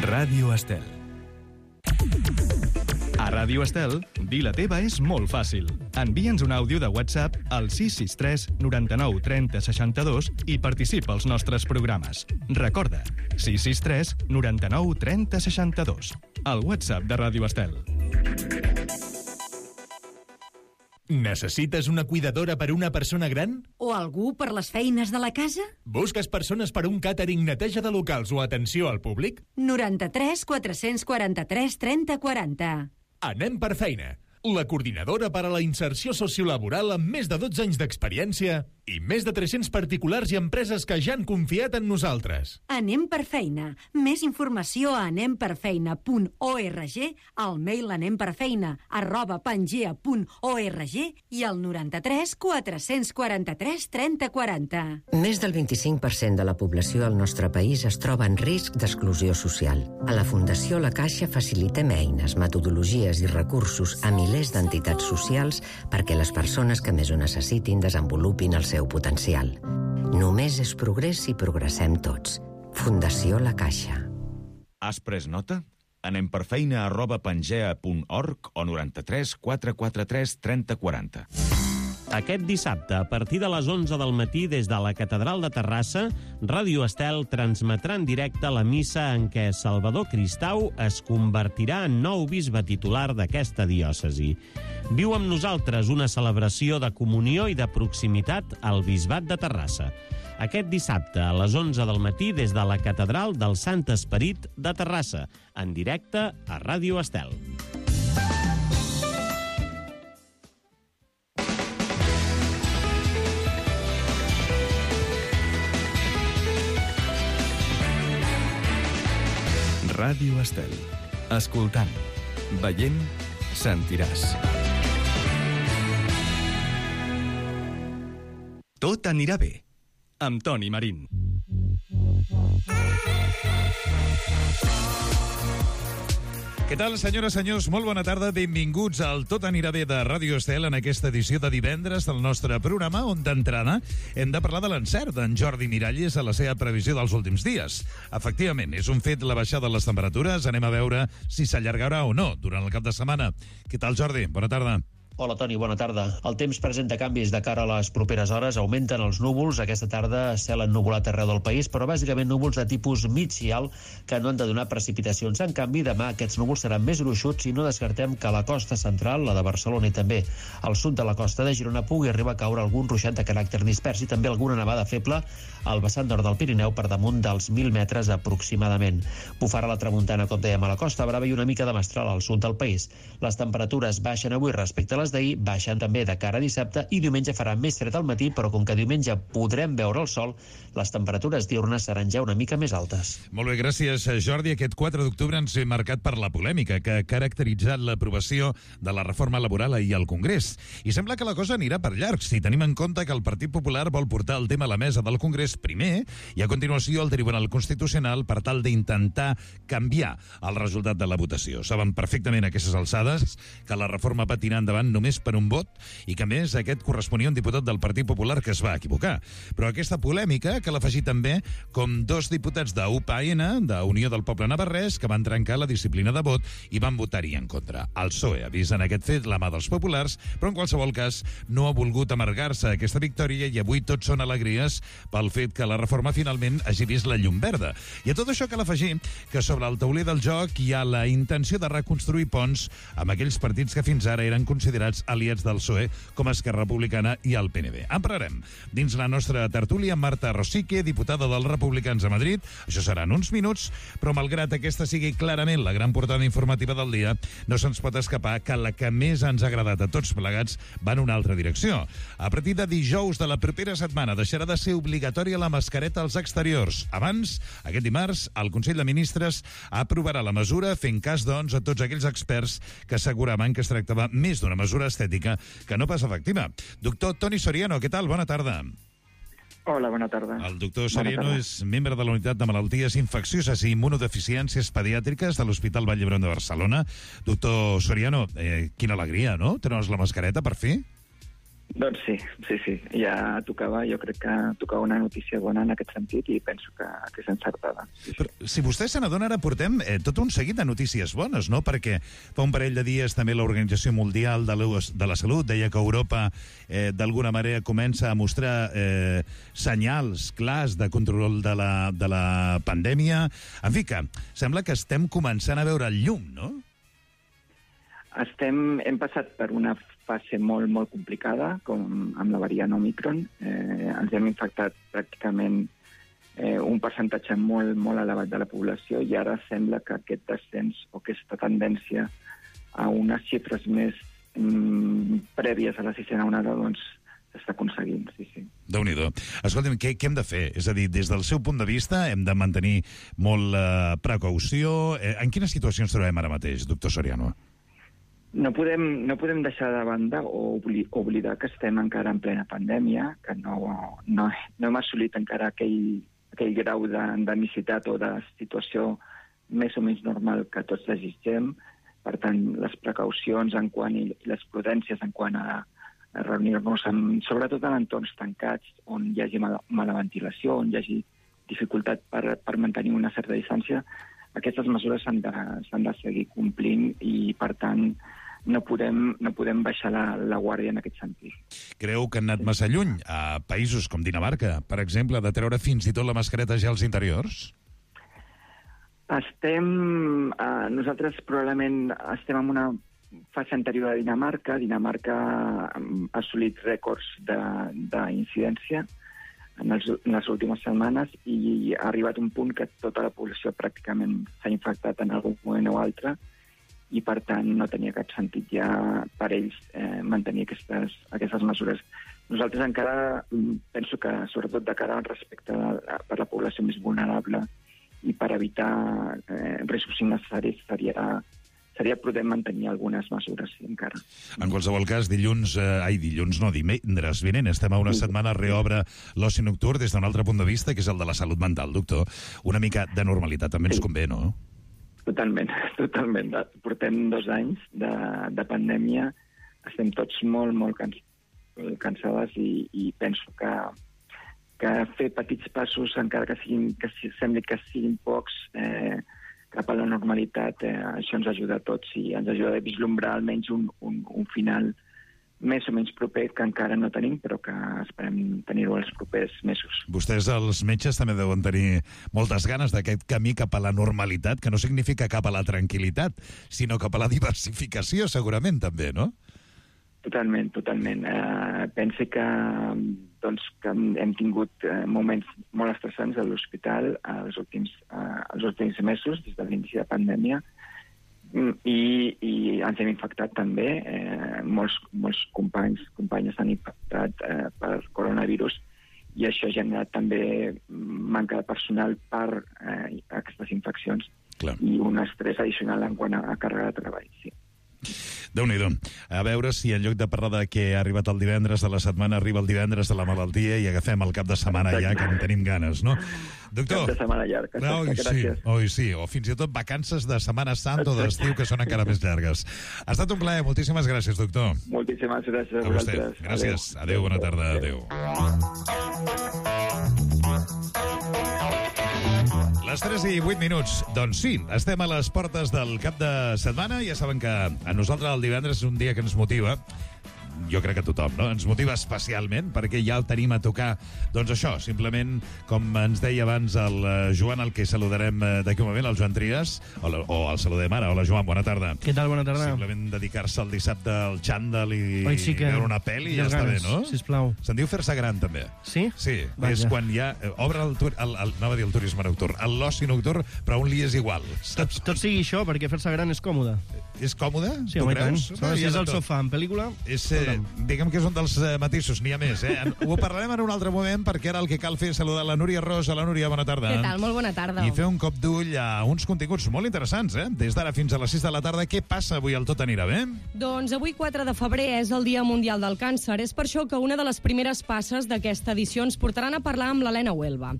Ràdio Estel. A Ràdio Estel, dir la teva és molt fàcil. Envia'ns un àudio de WhatsApp al 663 99 30 62 i participa als nostres programes. Recorda, 663 99 30 62. El WhatsApp de Ràdio Estel. Necessites una cuidadora per una persona gran? O algú per les feines de la casa? Busques persones per un càtering, neteja de locals o atenció al públic? 93 443 30 40. Anem per feina. La coordinadora per a la inserció sociolaboral amb més de 12 anys d'experiència i més de 300 particulars i empreses que ja han confiat en nosaltres. Anem per feina. Més informació a anemperfeina.org, al mail anemperfeina@pangea.org i al 93 443 30 40. Més del 25% de la població al nostre país es troba en risc d'exclusió social. A la Fundació La Caixa facilitem eines, metodologies i recursos a milers d'entitats socials perquè les persones que més ho necessitin desenvolupin el seu potencial. Només és progrés si progressem tots. Fundació La Caixa. Has pres nota? Anem per feina@pangea.org o 93 443 30 40. Aquest dissabte, a partir de les 11 del matí, des de la Catedral de Terrassa, Ràdio Estel transmetrà en directe la missa en què Salvador Cristau es convertirà en nou bisbe titular d'aquesta diòcesi. Viu amb nosaltres una celebració de comunió i de proximitat al Bisbat de Terrassa. Aquest dissabte, a les 11 del matí, des de la Catedral del Sant Esperit de Terrassa, en directe a Ràdio Estel. Ràdio Estel. Escoltant, veient, sentiràs. Tot anirà bé. Amb Toni Marín. Què tal, senyores, senyors? Molt bona tarda. Benvinguts al Tot anirà bé de Ràdio Estel en aquesta edició de divendres del nostre programa, on d'entrada hem de parlar de l'encert d'en Jordi Miralles a la seva previsió dels últims dies. Efectivament, és un fet la baixada de les temperatures. Anem a veure si s'allargarà o no durant el cap de setmana. Què tal, Jordi? Bona tarda. Hola, Toni, bona tarda. El temps presenta canvis de cara a les properes hores. Augmenten els núvols. Aquesta tarda cel ennuvolat arreu del país, però bàsicament núvols de tipus mig i alt que no han de donar precipitacions. En canvi, demà aquests núvols seran més gruixuts i no descartem que a la costa central, la de Barcelona i també al sud de la costa de Girona, pugui arribar a caure algun ruixat de caràcter dispers i també alguna nevada feble al vessant nord del Pirineu per damunt dels 1.000 metres aproximadament. Bufarà la tramuntana, com dèiem, a la Costa Brava i una mica de mestral al sud del país. Les temperatures baixen avui respecte a les d'ahir, baixen també de cara a dissabte i diumenge farà més fred al matí, però com que diumenge podrem veure el sol, les temperatures diurnes seran ja una mica més altes. Molt bé, gràcies, Jordi. Aquest 4 d'octubre ens ve marcat per la polèmica que ha caracteritzat l'aprovació de la reforma laboral ahir al Congrés. I sembla que la cosa anirà per llarg, si tenim en compte que el Partit Popular vol portar el tema a la mesa del Congrés primer i a continuació al Tribunal Constitucional per tal d'intentar canviar el resultat de la votació. Saben perfectament a aquestes alçades que la reforma patirà endavant només per un vot i que, a més, aquest corresponia a un diputat del Partit Popular que es va equivocar. Però aquesta polèmica que l'ha afegit també com dos diputats d'UPN, d'Unió del Poble Navarrès, que van trencar la disciplina de vot i van votar-hi en contra. El PSOE ha vist en aquest fet la mà dels populars, però en qualsevol cas no ha volgut amargar-se aquesta victòria i avui tots són alegries pel fet que la reforma finalment hagi vist la llum verda. I a tot això cal afegir que sobre el tauler del joc hi ha la intenció de reconstruir ponts amb aquells partits que fins ara eren considerats aliats del PSOE, com Esquerra Republicana i el PNB. En parlarem dins la nostra tertúlia amb Marta Rosique, diputada dels Republicans a Madrid. Això seran uns minuts, però malgrat aquesta sigui clarament la gran portada informativa del dia, no se'ns pot escapar que la que més ens ha agradat a tots plegats va en una altra direcció. A partir de dijous de la propera setmana deixarà de ser obligatòria la mascareta als exteriors. Abans, aquest dimarts, el Consell de Ministres aprovarà la mesura fent cas, doncs, a tots aquells experts que asseguraven que es tractava més d'una mesura estètica que no pas efectiva. Doctor Toni Soriano, què tal? Bona tarda. Hola, bona tarda. El doctor Soriano és membre de la Unitat de Malalties Infeccioses i Immunodeficiències Pediàtriques de l'Hospital Vall d'Hebron de Barcelona. Doctor Soriano, quina alegria, no? Treure's la mascareta, per fi? Doncs sí, ja tocava, jo crec que tocava una notícia bona en aquest sentit i penso que és encertada. Sí. Però, si vostè se n'adona, ara portem tot un seguit de notícies bones, no? Perquè fa un parell de dies també l'Organització Mundial de la Salut deia que Europa d'alguna manera comença a mostrar senyals clars de control de la pandèmia. En fi, que sembla que estem començant a veure el llum, no? Hem passat per una fase molt, molt complicada, com amb la variant Omicron. Ens hem infectat pràcticament un percentatge molt, molt elevat de la població i ara sembla que aquest descens o aquesta tendència a unes xifres més prèvies a la sisena onada doncs s'està aconseguint, sí. Déu-n'hi-do. Escolta'm, què hem de fer? És a dir, des del seu punt de vista hem de mantenir molt precaució. En quina situació ens trobem ara mateix, doctor Soriano? No podem deixar de banda o oblidar que estem encara en plena pandèmia, que no hem assolit encara aquell grau d'endemicitat o de situació més o menys normal que tots desitgem. Per tant, les precaucions i les prudències en quant a reunir-nos, sobretot en entorns tancats, on hi hagi mala ventilació, on hi hagi dificultat per mantenir una certa distància, aquestes mesures s'han de seguir complint i, per tant, no podem baixar la guàrdia en aquest sentit. Creu que han anat massa lluny? A països com Dinamarca, per exemple, de treure fins i tot la mascareta ja als interiors? Nosaltres probablement estem en una fase anterior a Dinamarca. Dinamarca ha assolit rècords d'incidència en les últimes setmanes i ha arribat un punt que tota la població pràcticament s'ha infectat en algun moment o altre i, per tant, no tenia cap sentit ja per ells mantenir aquestes mesures. Nosaltres encara penso que, sobretot de cara al respecte per la població més vulnerable i per evitar riscos innecessaris, seria prudent mantenir algunes mesures, sí, encara. En qualsevol cas, divendres vinent, estem a una setmana, reobre l'oci nocturn des d'un altre punt de vista, que és el de la salut mental, doctor. Una mica de normalitat també ens convé, no? Totalment. Portem 2 anys de pandèmia, estem tots molt, molt cansades i penso que fer petits passos, encara que sembli que siguin pocs, cap a la normalitat, això ens ajuda a tots i ens ajuda a vislumbrar almenys un final més o menys proper, que encara no tenim, però que esperem tenir-ho els propers mesos. Vostès, els metges, també deuen tenir moltes ganes d'aquest camí cap a la normalitat, que no significa cap a la tranquil·litat, sinó cap a la diversificació, segurament, també, no? Totalment. Penso que hem tingut moments molt estressants a l'hospital els últims mesos, des de l'inici de pandèmia, i ens hem infectat també. Molts companyes s'han infectat per coronavirus i això ha generat també manca de personal per aquestes infeccions. Clar. I un estrès addicional en quant a càrrega de treball, sí. Déu-n'hi-do. A veure si en lloc de parlar de que ha arribat el divendres de la setmana, arriba el divendres de la malaltia i agafem el cap de setmana ja, que en tenim ganes, no? Doctor... Cap de setmana llarg. Sí. O fins i tot vacances de Setmana Santa o d'estiu, que són encara més llargues. Ha estat un plaer. Moltíssimes gràcies, doctor. Moltíssimes gràcies a vosaltres. Gràcies. Adéu, bona tarda. Adéu. Les 3:08. Doncs sí, estem a les portes del cap de setmana. Ja saben que a nosaltres el divendres és un dia que ens motiva. Jo crec que tothom, no? Ens motiva especialment perquè ja el tenim a tocar, doncs això, simplement, com ens deia abans el Joan, el que saludarem d'aquí un moment, el Joan Trias, o el saludem ara. Hola, Joan, bona tarda. Què tal, bona tarda? Simplement dedicar-se el dissabte al xandall i veure una pel·li i ja està bé, no? Sisplau. Se'n diu fer-se gran, també. Sí? Sí, és quan ja obre anava a dir el turisme nocturn, l'oci nocturn, però on li és igual. Tot sigui això, perquè fer-se gran és còmode. És còmode? Sí, home, tant. Si és al sofà en pel·lícula... Diguem que és un dels matisos, n'hi ha més, eh? Ho parlarem en un altre moment, perquè ara el que cal fer és saludar la Núria Ros. La Núria, bona tarda. Què tal? Molt bona tarda. I fer un cop d'ull a uns continguts molt interessants, eh? Des d'ara fins a les 6 de la tarda. Què passa avui al Tot anirà bé? Doncs avui, 4 de febrer, és el Dia Mundial del Càncer. És per això que una de les primeres passes d'aquesta edició ens portaran a parlar amb l'Helena Huelva.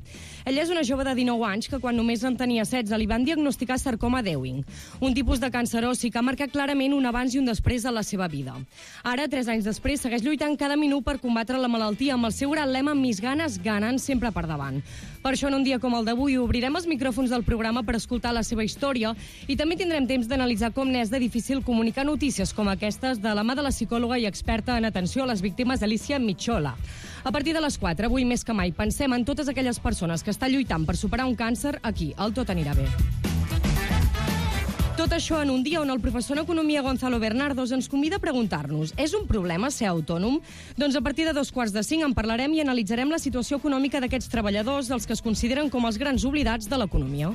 Ella és una jove de 19 anys que quan només en tenia 16 li van diagnosticar sarcoma d'Ewing, un tipus de càncer ossi que ha marcat clarament un abans i un després a la seva vida. Ara, 3 anys després, segueix lluitant cada minut per combatre la malaltia amb el seu gran lema "Mis ganes ganen sempre per davant". Per això, en un dia com el d'avui, obrirem els micròfons del programa per escoltar la seva història i també tindrem temps d'analitzar com n'és de difícil comunicar notícies com aquestes de la mà de la psicòloga i experta en atenció a les víctimes Alicia Michola. A partir de les 4, avui més que mai, pensem en totes aquelles persones que estan lluitant per superar un càncer aquí, al Tot anirà bé. Tot això en un dia on el professor en Economia Gonzalo Bernardos ens convida a preguntar-nos: és un problema ser autònom? Doncs a partir de 4:45 en parlarem i analitzarem la situació econòmica d'aquests treballadors, dels que es consideren com els grans oblidats de l'economia.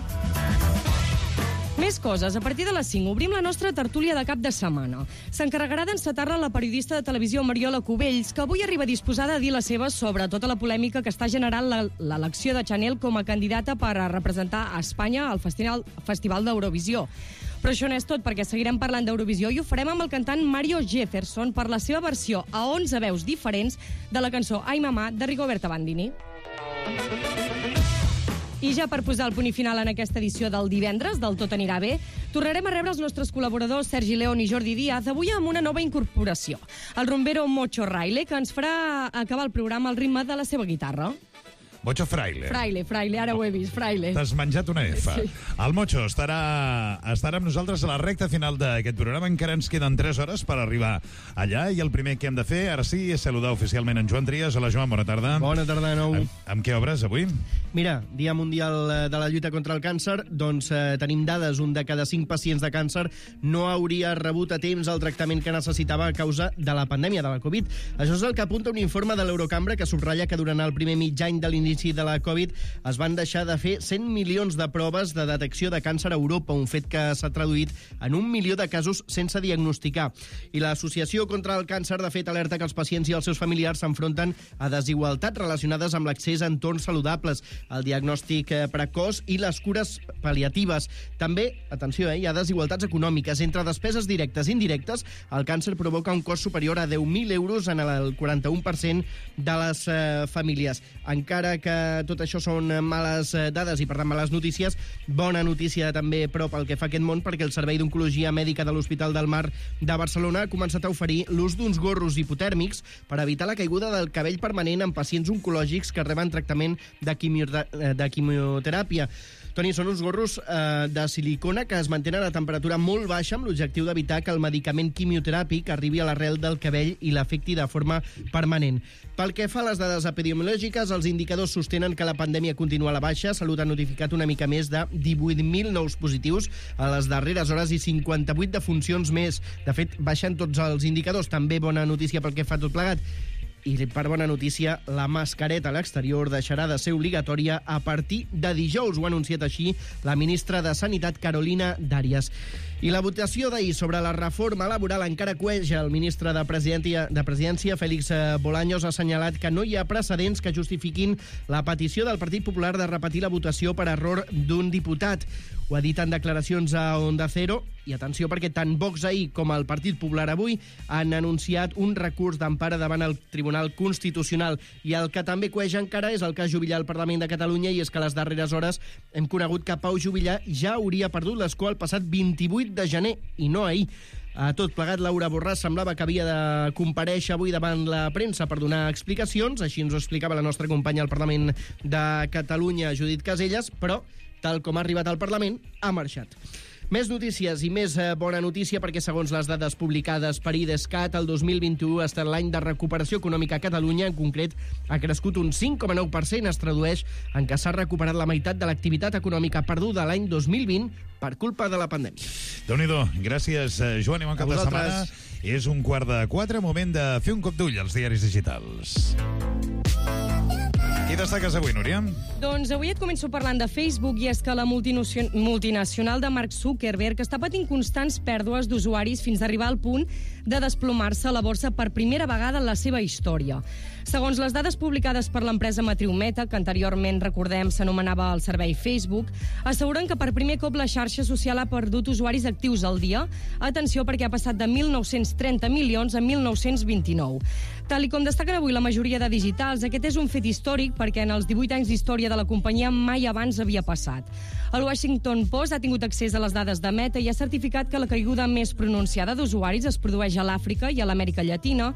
Més coses. A partir de les 5 obrim la nostra tertúlia de cap de setmana. S'encarregarà d'encetar-la la periodista de televisió Mariola Cubells, que avui arriba disposada a dir la seva sobre tota la polèmica que està generant l'elecció de Chanel com a candidata per a representar a Espanya al Festival d'Eurovisió. Però això no és tot, perquè seguirem parlant d'Eurovisió i ho farem amb el cantant Mario Jefferson per la seva versió a 11 veus diferents de la cançó Ai Mamà de Rigoberta Bandini. I ja per posar el punt final en aquesta edició del divendres, del Tot anirà bé, tornarem a rebre els nostres col·laboradors Sergi León i Jordi Díaz, avui amb una nova incorporació, el rumbero Mocho Fraile, que ens farà acabar el programa al ritme de la seva guitarra. Mocho Fraile. Fraile, ara ho he vist, Fraile. T'has menjat una F. Sí. El Mocho estarà amb nosaltres a la recta final d'aquest programa. Encara ens queden 3 hores per arribar allà i el primer que hem de fer, ara sí, és saludar oficialment en Joan Trias. Hola, Joan, bona tarda. Bona tarda de nou. Amb què obres avui? Mira, Dia Mundial de la Lluita contra el Càncer, doncs tenim dades. Un de cada 5 pacients de càncer no hauria rebut a temps el tractament que necessitava a causa de la pandèmia de la Covid. Això és el que apunta un informe de l'Eurocambra que subratlla que durant el primer mig any de l'inici de la Covid es van deixar de fer 100 milions de proves de detecció de càncer a Europa, un fet que s'ha traduït en 1 milió de casos sense diagnosticar. I l'Associació contra el Càncer, de fet, alerta que els pacients i els seus familiars s'enfronten a desigualtats relacionades amb l'accés a entorns saludables, el diagnòstic precoç i les cures pal·liatives. També, atenció, hi ha desigualtats econòmiques. Entre despeses directes i indirectes, el càncer provoca un cost superior a 10.000 euros en el 41% de les famílies. Encara que tot això són males dades i, per tant, males notícies, bona notícia també prop al que fa aquest món, perquè el Servei d'Oncologia Mèdica de l'Hospital del Mar de Barcelona ha començat a oferir l'ús d'uns gorros hipotèrmics per evitar la caiguda del cabell permanent en pacients oncològics que reben tractament de quimioteràpia. Toni, són uns gorros de silicona que es mantenen a temperatura molt baixa amb l'objectiu d'evitar que el medicament quimioteràpic arribi a l'arrel del cabell i l'afecti de forma permanent. Pel que fa a les dades epidemiològiques, els indicadors sostenen que la pandèmia continua a la baixa. Salut ha notificat una mica més de 18.000 nous positius a les darreres hores i 58 defuncions més. De fet, baixen tots els indicadors. També bona notícia pel que fa tot plegat. I per bona notícia, la mascareta a l'exterior deixarà de ser obligatòria a partir de dijous. Ho ha anunciat així la ministra de Sanitat, Carolina Darias. I la votació d'ahir sobre la reforma laboral encara cueja. El ministre de Presidència, Félix Bolaños, ha assenyalat que no hi ha precedents que justifiquin la petició del Partit Popular de repetir la votació per error d'un diputat. Ho ha dit en declaracions a Onda Cero. I atenció, perquè tant Vox ahir com el Partit Popular avui han anunciat un recurs d'empara davant el Tribunal Constitucional. I el que també cueja encara és el cas Juvillà al Parlament de Catalunya, i és que a les darreres hores hem conegut que Pau Juvillà ja hauria perdut l'escó el passat 28 de gener, i no ahir. A tot plegat, Laura Borràs semblava que havia de comparèixer avui davant la premsa per donar explicacions, així ens ho explicava la nostra companya al Parlament de Catalunya, Judit Caselles, però, tal com ha arribat al Parlament, ha marxat. Més notícies i més bona notícia, perquè segons les dades publicades per IDESCAT, el 2021 ha estat l'any de recuperació econòmica a Catalunya. En concret, ha crescut un 5,9%. Es tradueix en què s'ha recuperat la meitat de l'activitat econòmica perduda l'any 2020 per culpa de la pandèmia. Déu-n'hi-do. Gràcies, Joan, i bon cap de setmana. És 3:15, moment de fer un cop d'ull als diaris digitals. Qui destaques avui, Núria? Doncs avui et començo parlant de Facebook, i és que la multinacional de Mark Zuckerberg està patint constants pèrdues d'usuaris fins a arribar al punt de desplomar-se a la borsa per primera vegada en la seva història. Segons les dades publicades per l'empresa matriu Meta, que anteriorment, recordem, s'anomenava el servei Facebook, asseguren que per primer cop la xarxa social ha perdut usuaris actius al dia. Atenció, perquè ha passat de 1.930 milions a 1.929. Tal i com destaquen avui la majoria de digitals, aquest és un fet històric, perquè en els 18 anys d'història de la companyia mai abans havia passat. El Washington Post ha tingut accés a les dades de Meta i ha certificat que la caiguda més pronunciada d'usuaris es produeix a l'Àfrica i a l'Amèrica Llatina.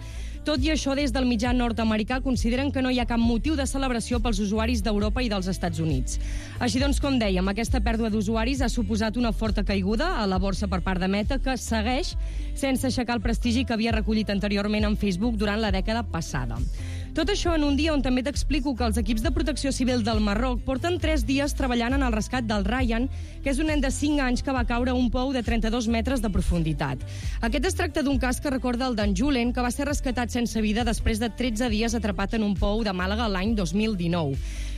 Tot i això, des del mitjà nord-americà consideren que no hi ha cap motiu de celebració pels usuaris d'Europa i dels Estats Units. Així doncs, com dèiem, aquesta pèrdua d'usuaris ha suposat una forta caiguda a la borsa per part de Meta, que segueix sense aixecar el prestigi que havia recollit anteriorment en Facebook durant la dècada passada. Tot això en un dia on també t'explico que els equips de protecció civil del Marroc porten 3 dies treballant en el rescat del Ryan, que és un nen de 5 anys que va caure a un pou de 32 metres de profunditat. Aquest es tracta d'un cas que recorda el d'en Julen, que va ser rescatat sense vida després de 13 dies atrapat en un pou de Màlaga l'any 2019.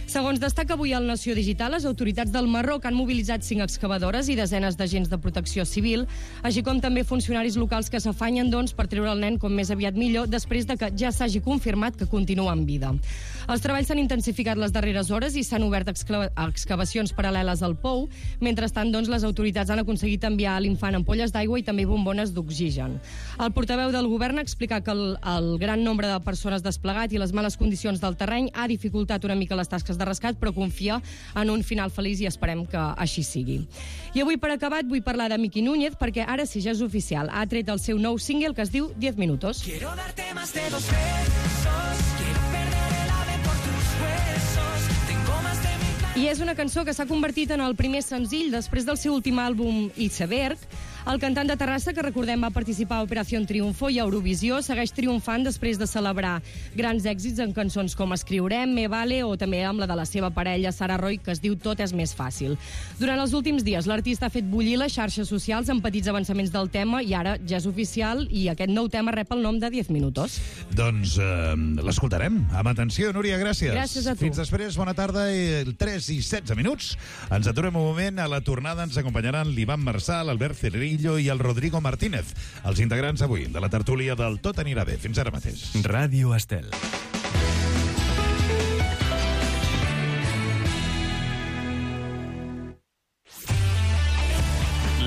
Segons destaca avui el Nació Digital, les autoritats del Marroc han mobilitzat 5 excavadores i desenes d'agents de protecció civil, així com també funcionaris locals que s'afanyen, doncs, per treure el nen com més aviat millor, després de que ja s'hagi confirmat que continua en vida. Els treballs s'han intensificat les darreres hores i s'han obert excavacions paral·leles al pou. Mentrestant, doncs, les autoritats han aconseguit enviar a l'infant ampolles d'aigua i també bombones d'oxigen. El portaveu del govern ha explicat que el gran nombre de persones desplegat i les males condicions del terreny ha dificultat una mica les tasques de rescat, però confia en un final feliç i esperem que així sigui. I avui, per acabat, vull parlar de Miki Núñez, perquè ara sí, ja és oficial. Ha tret el seu nou single que es diu 10 minutos. Quiero darte más de 2 besos, quiero perder el ave por tus huesos, tengo más de 1000... I és una cançó que s'ha convertit en el primer senzill després del seu últim àlbum Iceberg. El cantant de Terrassa, que recordem va participar a Operació Triunfo i a Eurovisió, segueix triomfant després de celebrar grans èxits en cançons com Escriurem, Me Vale o també amb la de la seva parella, Sara Roy, que es diu Tot és més fàcil. Durant els últims dies, l'artista ha fet bullir les xarxes socials amb petits avançaments del tema i ara ja és oficial i aquest nou tema rep el nom de 10 minutos. Doncs l'escoltarem. Amb atenció, Núria, gràcies. Gràcies a tu. Fins després, bona tarda, 3 i 16 minuts. Ens aturem un moment. A la tornada ens acompanyaran l'Ivan Marçà, l'Albert Cerrillo i el Rodrigo Martínez, els integrants avui de la tertúlia del Tot anirà bé. Fins ara mateix. Ràdio Estel.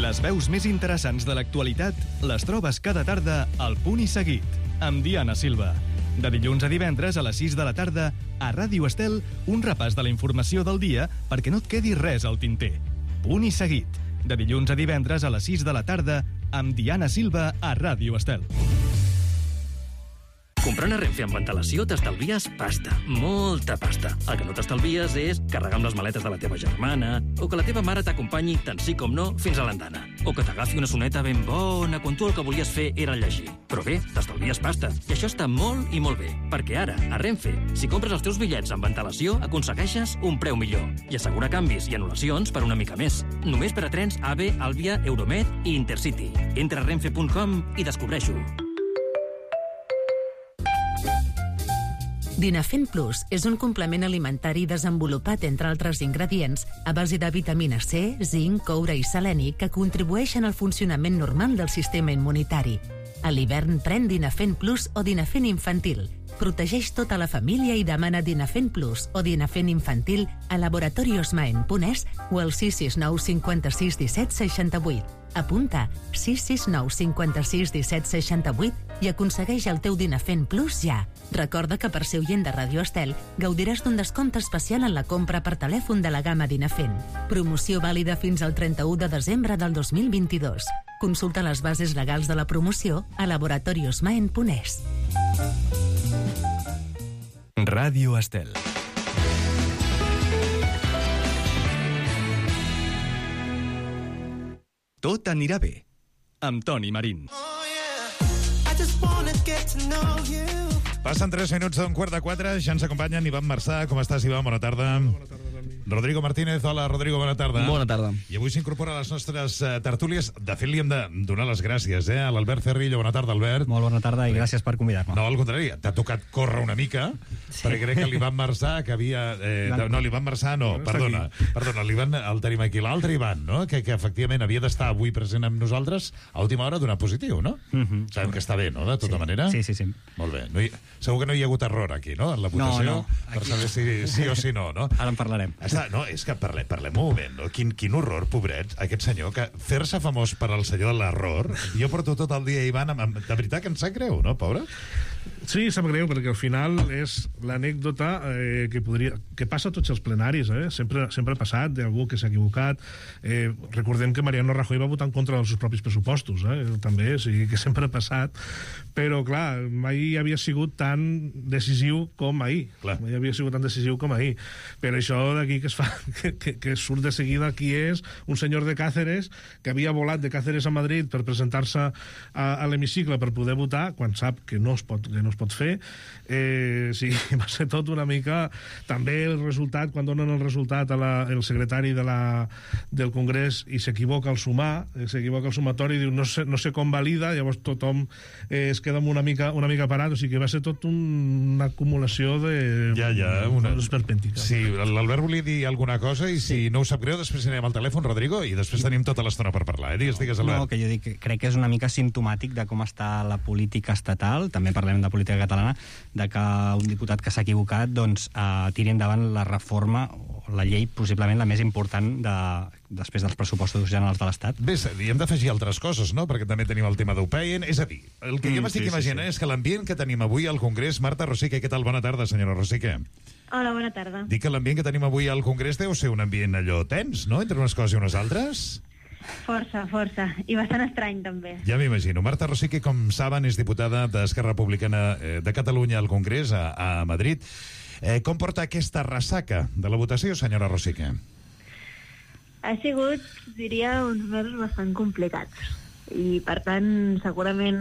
Les veus més interessants de l'actualitat les trobes cada tarda al Punt i Seguit, amb Diana Silva. De dilluns a divendres a les 6 de la tarda, a Ràdio Estel, un repàs de la informació del dia perquè no et quedi res al tinter. Punt i Seguit. De dilluns a divendres a les 6 de la tarda amb Diana Silva a Ràdio Estel. Comprant a Renfe amb antelació t'estalvies pasta, molta pasta. El que no t'estalvies és carregar amb les maletes de la teva germana, o que la teva mare t'acompanyi tant sí com no fins a l'andana, o que t'agafi una soneta ben bona quan tu el que volies fer era llegir. Però bé, t'estalvies pasta, i això està molt i molt bé, perquè ara, a Renfe, si compres els teus bitllets amb antelació, aconsegueixes un preu millor i assegura canvis i anul·lacions per una mica més. Només per a trens AVE, Àlvia, Euromed i Intercity. Entra a renfe.com i descobreix-ho. Dinafen Plus és un complement alimentari desenvolupat, entre altres ingredients, a base de vitamina C, zinc, coure i seleni que contribueixen al funcionament normal del sistema immunitari. A l'hivern pren Dinafen Plus o Dinafen Infantil. Protegeix tota la família i demana Dinafen Plus o Dinafen Infantil a laboratoriosmaen.es o al 669 56 17 68. Apunta 669 56 17 68 i aconsegueix el teu Dinafen Plus ja. Recorda que per ser oient de Ràdio Estel gaudiràs d'un descompte especial en la compra per telèfon de la gamma Dinafen. Promoció vàlida fins al 31 de desembre del 2022. Consulta les bases legals de la promoció a laboratoriosmaen.es. Ràdio Estel. Tot anirà bé, amb Toni Marín. Passen 3 minuts d'un 3:45, ja ens acompanyen Ivan Marçà. Com estàs, Ivan? Bona tarda. Bona tarda, Toni. Rodrigo Martínez. Hola, Rodrigo, bona tarda. Bona tarda. I avui s'incorpora a les nostres tertúlies. De fet, li hem de donar les gràcies a l'Albert Cerrillo. Bona tarda, Albert. Molt bona tarda i gràcies per convidar-me. No, al contrari, t'ha tocat córrer una mica, perquè crec que l'Ivan Marçà, que havia... no, l'Ivan Marçà no, perdona, l'Ivan el tenim aquí. L'altre Ivan, no? que efectivament havia d'estar avui present amb nosaltres, a última hora donat positiu, no? Sabem que està bé, no?, de tota manera? Sí. Molt bé. Segur que no hi ha hagut error aquí, no?, en la votació, no. Per saber si sí o si no, no? Ara en parlarem. No, és que parlem un moment, no? Quin horror, pobret, aquest senyor, que fer-se famós per al senyor de l'error. Jo porto tot el dia, Ivan, de veritat que em sap greu, no, pobre? Sí, sap greu, perquè al final és l'anècdota que passa a tots els plenaris, sempre ha passat d'algú que s'ha equivocat. Recordem que Mariano Rajoy va votar en contra dels seus propis pressupostos, també, o sigui que sempre ha passat, però clar, mai havia sigut tan decisiu com ahir. Mai havia sigut tan decisiu com ahir. Per això d'aquí que es fa que surt de seguida qui és un senyor de Cáceres que havia volat de Cáceres a Madrid per presentar-se a l'hemicicle per poder votar, quan sap que no es pot fer. Sí, va ser tot una mica... També el resultat, quan donen el resultat el secretari del Congrés i s'equivoca al sumar, s'equivoca al sumatori i diu no sé com valida, llavors tothom es queda una mica parat, o sigui que va ser tot una acumulació de... esperpèntica. Sí, l'Albert volia dir alguna cosa i si no ho sap greu, després anirem al telèfon, Rodrigo, i després tenim tota l'estona per parlar. Digues, Albert. No, que jo dic, crec que és una mica simptomàtic de com està la política estatal, també parlem de política catalana, de que un diputat que s'ha equivocat doncs tiri endavant la reforma o la llei possiblement la més important després dels pressupostos generals de l'Estat. Bé, hi hem d'afegir altres coses, no? Perquè també tenim el tema d'UPEN. És a dir, el que jo m'estic imaginant és que l'ambient que tenim avui al Congrés... Marta Rosique, què tal? Bona tarda, senyora Rosique. Hola, bona tarda. Dic que l'ambient que tenim avui al Congrés deu ser un ambient allò tens, no?, entre unes coses i unes altres. Força. I bastant estrany, també. Ja m'imagino. Marta Rosique, com saben, és diputada d'Esquerra Republicana de Catalunya al Congrés, a Madrid. Com porta aquesta ressaca de la votació, senyora Rosique? Ha sigut, diria, uns mesos bastant complicats. I, per tant, segurament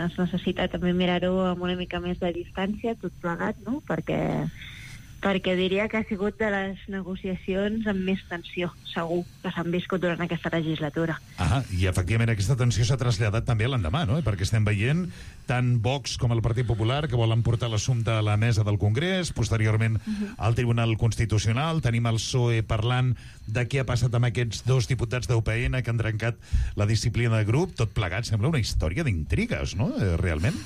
es necessita també mirar-ho amb una mica més de distància, tot plegat, no?, perquè diria que ha sigut de les negociacions amb més tensió, segur, que s'han viscut durant aquesta legislatura. I efectivament aquesta tensió s'ha traslladat també a l'endemà, no? Perquè estem veient tant Vox com el Partit Popular que volen portar l'assumpte a la mesa del Congrés, posteriorment al Tribunal Constitucional, tenim el PSOE parlant de què ha passat amb aquests dos diputats d'UPN que han trencat la disciplina de grup, tot plegat, sembla una història d'intrigues, no? Realment?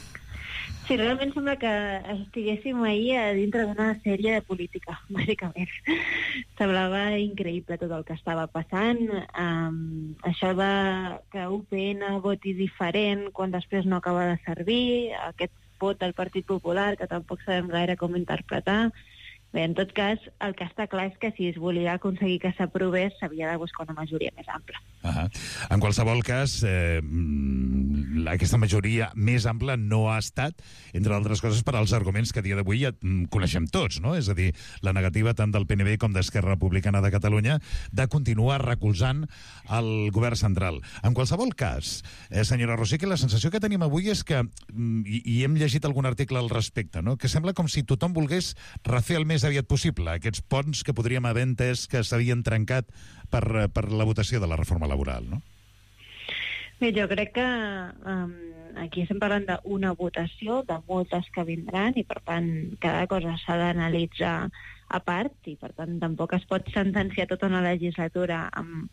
Sí, realment sembla que estiguéssim ahir a dintre d'una sèrie de política, bàsicament. Semblava increïble tot el que estava passant. Això de que UPN voti diferent quan després no acaba de servir, aquest vot del Partit Popular, que tampoc sabem gaire com interpretar. Bé, en tot cas, el que està clar és que si es volia aconseguir que s'aprovés, s'havia de buscar una majoria més ampla. En qualsevol cas, aquesta majoria més ampla no ha estat, entre altres coses, per als arguments que a dia d'avui ja coneixem tots, no? És a dir, la negativa tant del PNB com d'Esquerra Republicana de Catalunya de continuar recolzant el govern central. En qualsevol cas, senyora Rosique, la sensació que tenim avui és que, i hem llegit algun article al respecte, no?, que sembla com si tothom volgués refer el més aviat possible aquests ponts que podríem haver entès que s'havien trencat per la votació de la reforma laboral, no? Bé, jo crec que aquí estem parlant d'una votació, de moltes que vindran, i per tant cada cosa s'ha d'analitzar a part, i per tant tampoc es pot sentenciar tota una legislatura amb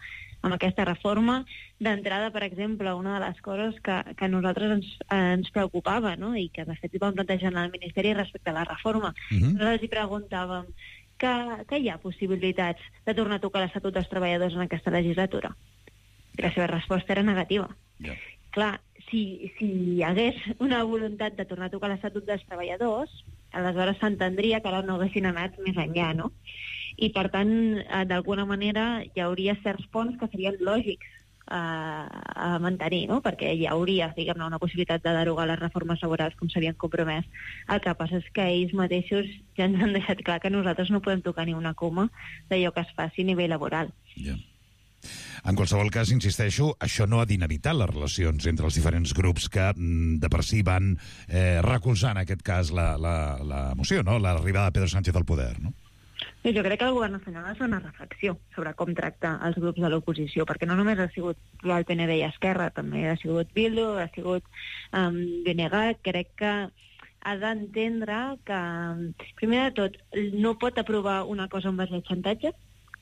aquesta reforma. D'entrada, per exemple, una de les coses que a nosaltres ens preocupava, no?, i que de fet vam plantejar al Ministeri respecte a la reforma, nosaltres hi preguntàvem que hi ha possibilitats de tornar a tocar l'Estatut dels Treballadors en aquesta legislatura. I la seva resposta era negativa. Clar, si hi hagués una voluntat de tornar a tocar l'Estatut dels Treballadors, aleshores s'entendria que ara no haguessin anat més enllà, no? I, per tant, d'alguna manera hi hauria certs ponts que serien lògics a mantenir, no?, perquè hi hauria, diguem-ne, una possibilitat de derogar les reformes laborals com s'havien compromès. El que passa és que ells mateixos ja ens han deixat clar que nosaltres no podem tocar ni una coma d'allò que es faci a nivell laboral. En qualsevol cas, insisteixo, això no ha d'inevitar les relacions entre els diferents grups que de per si van recolzar en aquest cas la moció, no?, l'arribada de Pedro Sánchez al poder, no? Jo crec que el govern nacional ha de fer una reflexió sobre com tracta els grups de l'oposició, perquè no només ha sigut el PNB i Esquerra, també ha sigut Bildu, ha sigut BNG. Crec que ha d'entendre que, primer de tot, no pot aprovar una cosa en base al xantatge,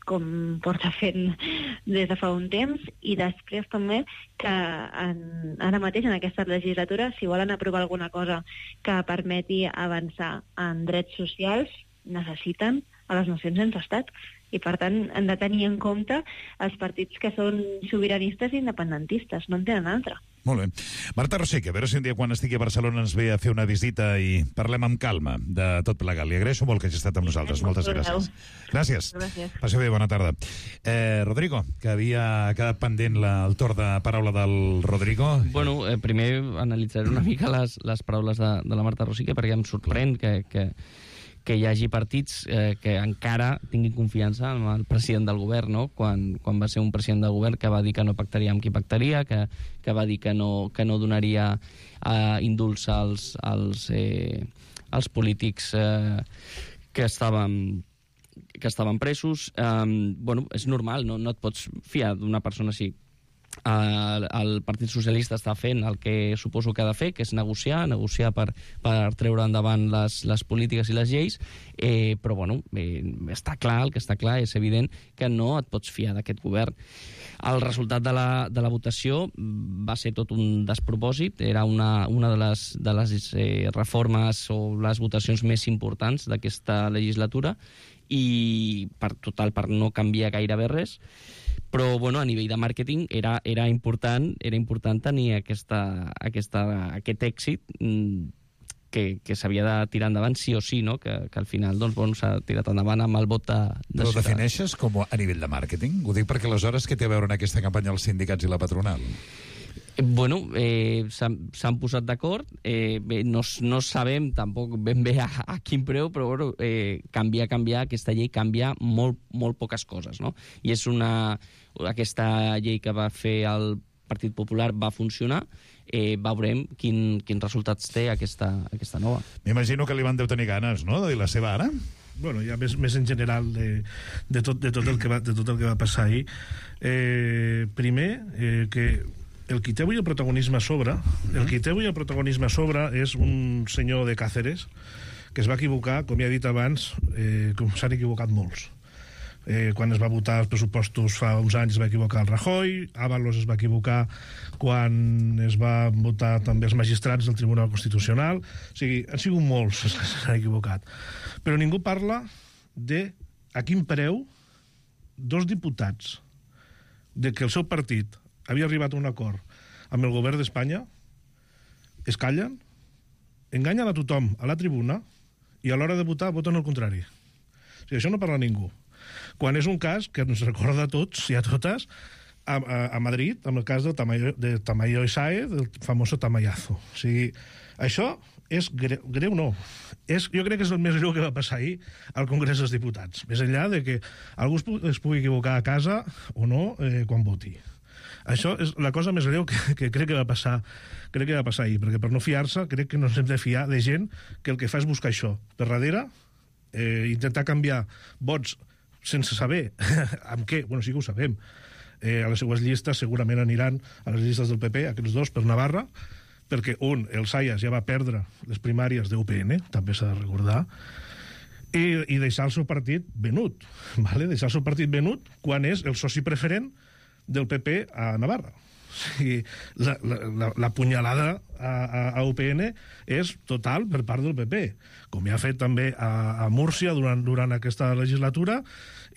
com porta fent des de fa un temps, i després també que ara mateix en aquesta legislatura, si volen aprovar alguna cosa que permeti avançar en drets socials, necessiten a les nacions sense estat, i per tant han de tenir en compte els partits que són sobiranistes i independentistes, no en tenen altra. Molt bé. Marta Rosique, a veure si un dia quan estigui a Barcelona ens ve a fer una visita i parlem amb calma de tot plegat. Li agraeixo molt que hagi estat amb nosaltres. Moltes gràcies. Gràcies. Passi bé, bona tarda. Rodrigo, que havia quedat pendent el torn de paraula del Rodrigo. Bueno, primer analitzaré una mica les paraules de la Marta Rosique, perquè em sorprèn que hi hagi partits que encara tinguin confiança en el president del govern, no? Quan va ser un president del govern que va dir que no pactaria amb qui pactaria, que va dir que no donaria indults als polítics que estaven presos. Bueno, és normal, no et pots fiar d'una persona així. El Partit Socialista està fent el que suposo que ha de fer, que és negociar per treure endavant les polítiques i les lleis, però bueno, està clar, el que està clar és evident que no et pots fiar d'aquest govern. El resultat de la votació va ser tot un despropòsit, era una de les reformes o les votacions més importants d'aquesta legislatura i per no canviar gairebé res. Però, bueno, a nivell de màrqueting era important tenir aquest èxit que s'havia de tirar endavant sí o sí, no? Que al final s'ha tirat endavant amb el vot de Però ho defineixes com a nivell de màrqueting? Ho dic perquè aleshores què té a veure en aquesta campanya els sindicats i la patronal? Bueno, s'han posat d'acord, no sabem tampoc ben bé a quin preu, però bueno, canviar aquesta llei canvia molt poques coses, no? I és aquesta llei que va fer el Partit Popular va funcionar, veurem quins resultats té aquesta nova. M'imagino que li van deu tenir ganes, no?, de dir la seva ara? Bueno, ja més en general de tot el que va passar ahir. Primer, que el qui té avui el protagonisme a sobre, és un senyor de Càceres que es va equivocar, com ja he dit abans, com s'han equivocat molts. Quan es va votar els pressupostos fa uns anys es va equivocar el Rajoy, Ábalos es va equivocar quan es va votar també els magistrats del Tribunal Constitucional. O sigui, han sigut molts els que s'han equivocat. Però ningú parla de a quin preu dos diputats de que el seu partit havia arribat a un acord amb el govern d'Espanya, es callen, enganyen a tothom a la tribuna i a l'hora de votar voten el contrari. O sigui, això no parla ningú. Quan és un cas que ens recorda a tots i a totes a Madrid, amb el cas de Tamayo y Sáez, del famoso Tamayazo. O sigui, això és greu no. Jo crec que és el més greu que va passar ahir al Congrés dels Diputats. Més enllà de que algú es pugui equivocar a casa o no quan voti. Això és la cosa més greu que crec que va passar ahir, perquè per no fiar-se crec que no ens hem de fiar de gent que el que fa és buscar això per darrere, intentar canviar vots sense saber amb què, bueno, sí que ho sabem. A les seues llistes segurament aniran a les llistes del PP, aquests dos, per Navarra, perquè el Sayas ja va perdre les primàries d'UPN, també s'ha de recordar, i deixar el seu partit venut, ¿vale? Deixar el seu partit venut quan és el soci preferent del PP a Navarra. O sigui, la punyalada a UPN és total per part del PP, com ja ha fet també a Múrcia durant aquesta legislatura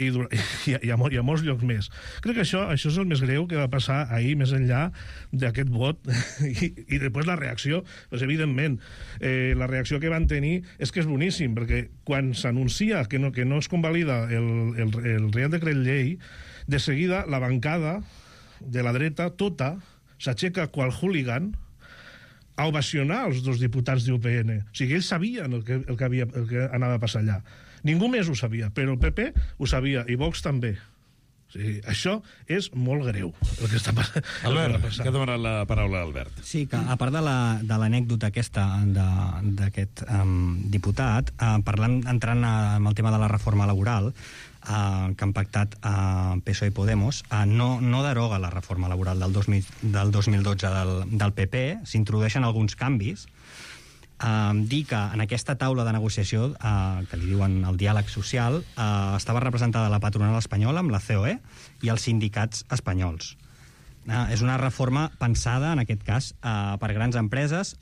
i a molts llocs més. Crec que això és el més greu que va passar ahir, més enllà d'aquest vot i després la reacció, doncs evidentment la reacció que van tenir és que és boníssim, perquè quan s'anuncia que no es convalida el Reial Decret Llei, de seguida la bancada de la dreta tota s'aixeca qual hooligan a ovacionar els dos diputats d'UPN. O sigui, ells sabien el que anava a passar allà. Ningú més ho sabia, però el PP ho sabia, i Vox també. O sigui, això és molt greu, el que està passant. Albert, que ha demanat la paraula Albert. Sí, que a part de l'anècdota aquesta d'aquest diputat, entrant en el tema de la reforma laboral, que han pactat PSOE i Podemos, no deroga la reforma laboral del 2012 del PP, s'introdueixen alguns canvis, dir que en aquesta taula de negociació, que li diuen el diàleg social, estava representada la patronal espanyola amb la COE i els sindicats espanyols. És una reforma pensada, en aquest cas, per grans empreses,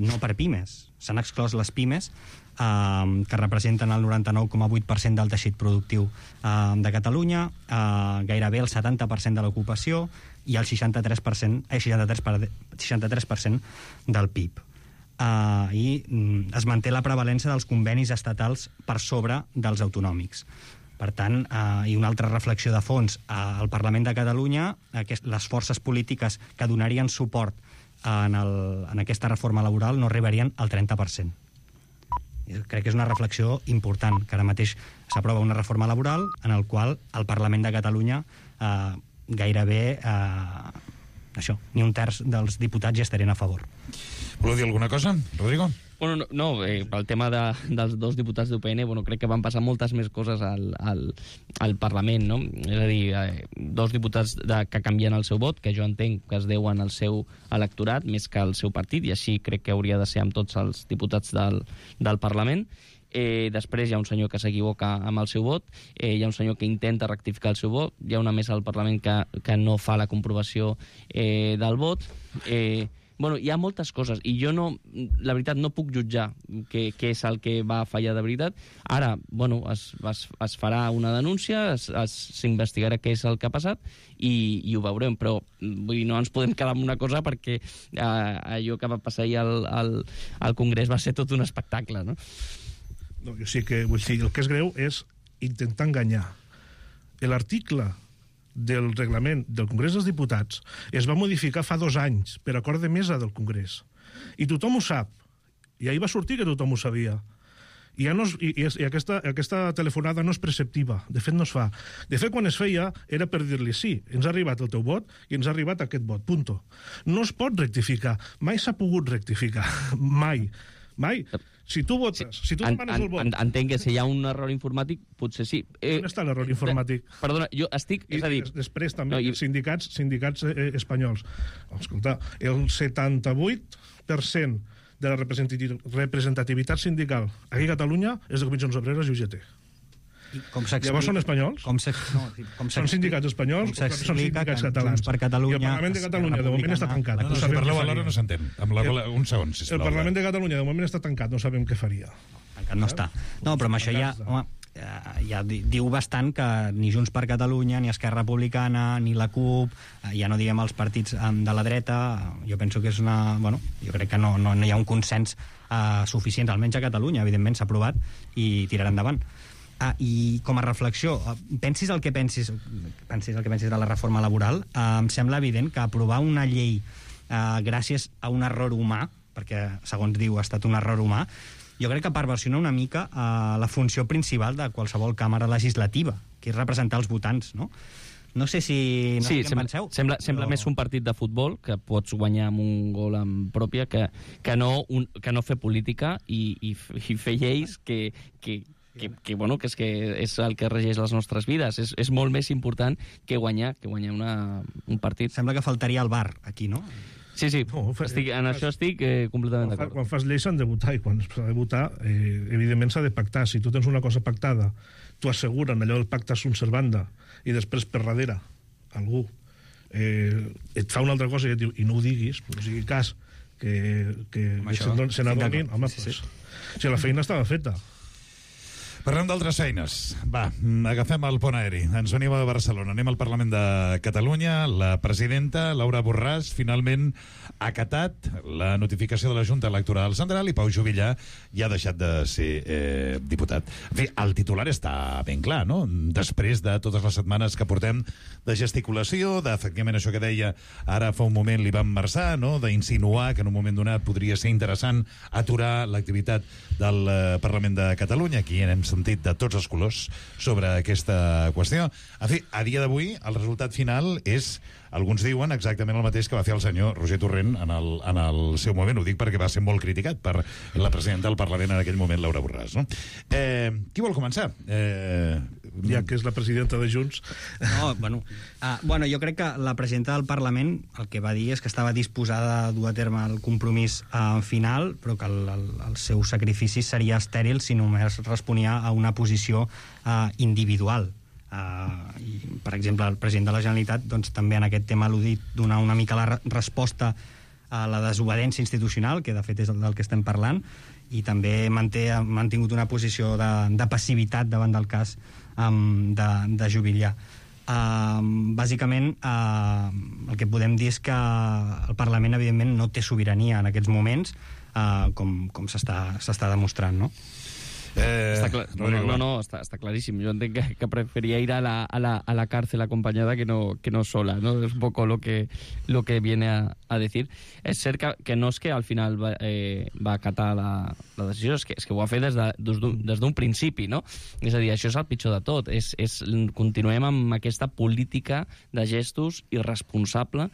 no per pimes. S'han exclòs les pimes que representen el 99,8% del teixit productiu de Catalunya, gairebé el 70% de l'ocupació i el 63% del PIB. I es manté la prevalència dels convenis estatals per sobre dels autonòmics. Per tant, i una altra reflexió de fons, al Parlament de Catalunya, les forces polítiques que donarien suport en aquesta reforma laboral no arribarien al 30%. Crec que és una reflexió important, que ara mateix s'aprova una reforma laboral en el qual el Parlament de Catalunya gairebé ni un terç dels diputats hi estarien a favor. Voleu dir alguna cosa, Rodrigo? Bueno, no, pel tema dels dos diputats d'UPN, crec que van passar moltes més coses al Parlament, no? És a dir, dos diputats que canvien el seu vot, que jo entenc que es deuen al seu electorat més que al seu partit, i així crec que hauria de ser amb tots els diputats del Parlament. Després hi ha un senyor que s'equivoca amb el seu vot, hi ha un senyor que intenta rectificar el seu vot, hi ha una mesa al Parlament que no fa la comprovació del vot. Hi ha moltes coses, i jo la veritat no puc jutjar què és el que va fallar de veritat. Ara, es farà una denúncia, s'investigarà què és el que ha passat i ho veurem, però no ens podem quedar amb una cosa perquè allò que va passar ahir al Congrés va ser tot un espectacle, no? No, jo sí que vull dir, el que és greu és intentar enganyar. L'article del reglament del Congrés dels Diputats es va modificar fa 2 anys per acord de mesa del Congrés. I tothom ho sap. I ahir va sortir que tothom ho sabia. I aquesta telefonada no és preceptiva. De fet, no es fa. De fet, quan es feia, era per dir-li sí, ens ha arribat el teu vot i ens ha arribat aquest vot, punto. No es pot rectificar. Mai s'ha pogut rectificar. Mai. Si tu votes, si tu demanes el vot... Entenc que si hi ha un error informàtic, potser sí. On està l'error informàtic? Perdona, jo estic... És a dir... Després també, sindicats espanyols. Escolta, el 78% de la representativitat sindical aquí a Catalunya és de Comissions Obreres i UGT. Llavors són espanyols? Són sindicats espanyols o són sindicats catalans? I el Parlament de Catalunya de moment està tancat. Si parleu alhora no s'entén. Un segon, sisplau. El Parlament de Catalunya de moment està tancat, no sabem què faria. Tancat no està. No, però amb això ja diu bastant que ni Junts per Catalunya, ni Esquerra Republicana, ni la CUP, ja no diguem els partits de la dreta, jo penso que és una... jo crec que no hi ha un consens suficient, almenys a Catalunya, evidentment s'ha aprovat i tirarà endavant. I com a reflexió, pensis el que pensis de la reforma laboral, em sembla evident que aprovar una llei gràcies a un error humà, perquè segons diu ha estat un error humà, jo crec que perversiona una mica la funció principal de qualsevol càmera legislativa, que és representar els votants, no? No sé si... Sí, sembla més un partit de futbol que pots guanyar amb un gol en pròpia que no fer política i fer lleis que és el que regeix les nostres vides. És molt més important que guanyar un partit. Sembla que faltaria el VAR aquí, no? Sí, en això estic completament d'acord. Quan fas lleis s'han de votar, i quan s'ha de votar, evidentment s'ha de pactar. Si tu tens una cosa pactada, tu asseguren allò del pacte sunt servanda, i després per darrere algú et fa una altra cosa i et diu, i no ho diguis, no sigui cas que se n'adonin, home, si la feina estava feta. Parlem d'altres feines. Va, agafem el pont aeri. Ens venim a Barcelona. Anem al Parlament de Catalunya. La presidenta, Laura Borràs, finalment ha acatat la notificació de la Junta Electoral Central i Pau Juvillà ja ha deixat de ser diputat. En fi, el titular està ben clar, no? Després de totes les setmanes que portem de gesticulació, d'efectivament això que deia ara fa un moment li van marçar, no? D'insinuar que en un moment donat podria ser interessant aturar l'activitat del Parlament de Catalunya. Aquí hem sentit de tots els colors sobre aquesta qüestió. En fi, a dia d'avui, el resultat final és, alguns diuen, exactament el mateix que va fer el senyor Roger Torrent en el seu moment. Ho dic perquè va ser molt criticat per la presidenta del Parlament en aquell moment, Laura Borràs. No? Qui vol començar? Ja que és la presidenta de Junts. Bueno, jo crec que la presidenta del Parlament el que va dir és que estava disposada a dur a terme el compromís final, però que el seu sacrifici seria estèril si només responia a una posició individual. I, per exemple, el president de la Generalitat doncs, també en aquest tema al·ludit donar una mica la resposta a la desobediència institucional, que de fet és del que estem parlant, i també ha mantingut una posició de passivitat davant del cas de Juvillà. Bàsicament, el que podem dir és que el Parlament, evidentment, no té sobirania en aquests moments, com s'està demostrant, no? Està clar, està claríssim. Jo entenc que preferia ir a la cárcel acompañada que no sola, ¿no? Es un poco lo que viene a decir. És cert que no és que al final va acatar la decisió, és que ho ha fet des d'un principi, no? És a dir, això és el pitjor de tot. Continuem amb aquesta política de gestos irresponsable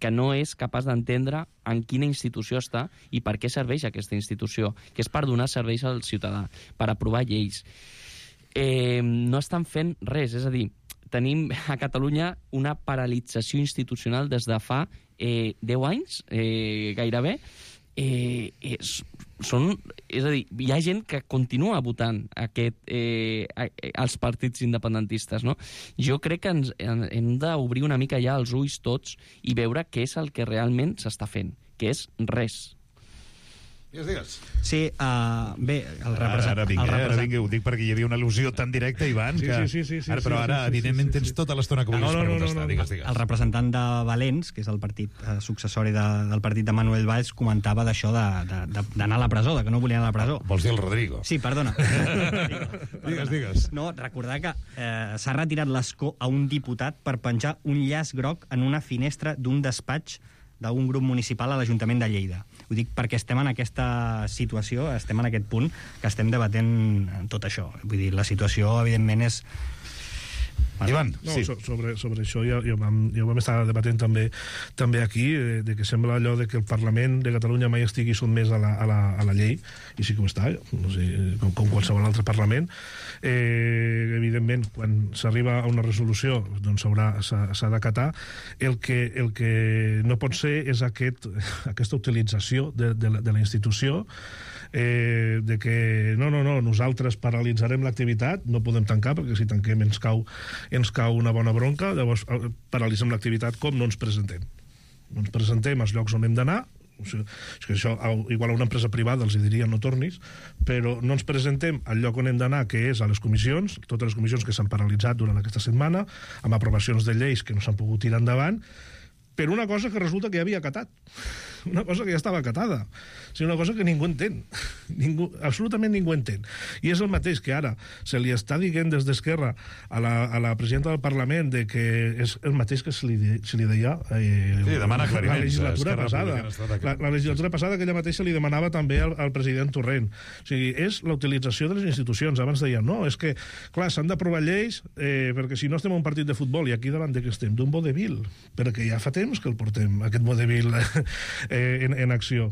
que no és capaç d'entendre en quina institució està i per què serveix aquesta institució, que és per donar serveis al ciutadà, per aprovar lleis. No estan fent res, és a dir, tenim a Catalunya una paralització institucional des de fa 10 anys, gairebé. És a dir, hi ha gent que continua votant els partits independentistes, no? Jo crec que hem d'obrir una mica ja els ulls tots i veure què és el que realment s'està fent, que és res. Digues. Sí, bé, el representant... Ara vinc, ho dic perquè hi havia una al·lusió tan directa, Ivan, però ara, evidentment, tens tota l'estona que vulguis per contestar. Digues. El representant de Valents, que és el partit successori del partit de Manuel Valls, comentava d'això d'anar a la presó, que no volia anar a la presó. Vols dir el Rodrigo? Sí, perdona. Digues. No, recordar que s'ha retirat l'escó a un diputat per penjar un llaç groc en una finestra d'un despatx d'un grup municipal a l'Ajuntament de Lleida. Ho dic perquè estem en aquesta situació, estem en aquest punt, que estem debatent tot això. Vull dir, la situació, evidentment, és... Ivan, sí. Sobre això ja ho vam estar debatent també aquí, de que sembla allò de que el Parlament de Catalunya mai estigui sotmès a la llei, i sí que ho està, no sé, com qualsevol altre Parlament. Evidentment, quan s'arriba a una resolució, doncs s'ha d'acatar. El que no pot ser és aquesta utilització de la institució, de que no, nosaltres paralitzarem l'activitat, no podem tancar perquè si tanquem ens cau una bona bronca, llavors paralitzem l'activitat com no ens presentem. No ens presentem als llocs on hem d'anar, és que això igual a una empresa privada els diria no tornis, però no ens presentem al lloc on hem d'anar, que és a les comissions, totes les comissions que s'han paralitzat durant aquesta setmana, amb aprovacions de lleis que no s'han pogut tirar endavant, per una cosa que resulta que ja havia acatat, una cosa que ja estava acatada, o sigui, una cosa que ningú entén, absolutament ningú entén. I és el mateix que ara se li està dient des d'Esquerra a la presidenta del Parlament de que és el mateix que se li deia demana la legislatura passada. La legislatura passada que ella mateixa li demanava també al president Torrent. O sigui, és la utilització de les institucions. Abans deien, no, és que, clar, s'han d'aprovar lleis perquè si no estem en un partit de futbol, i aquí davant de que estem d'un vodevil, perquè ja fa temps que el portem, aquest vodevil en acció.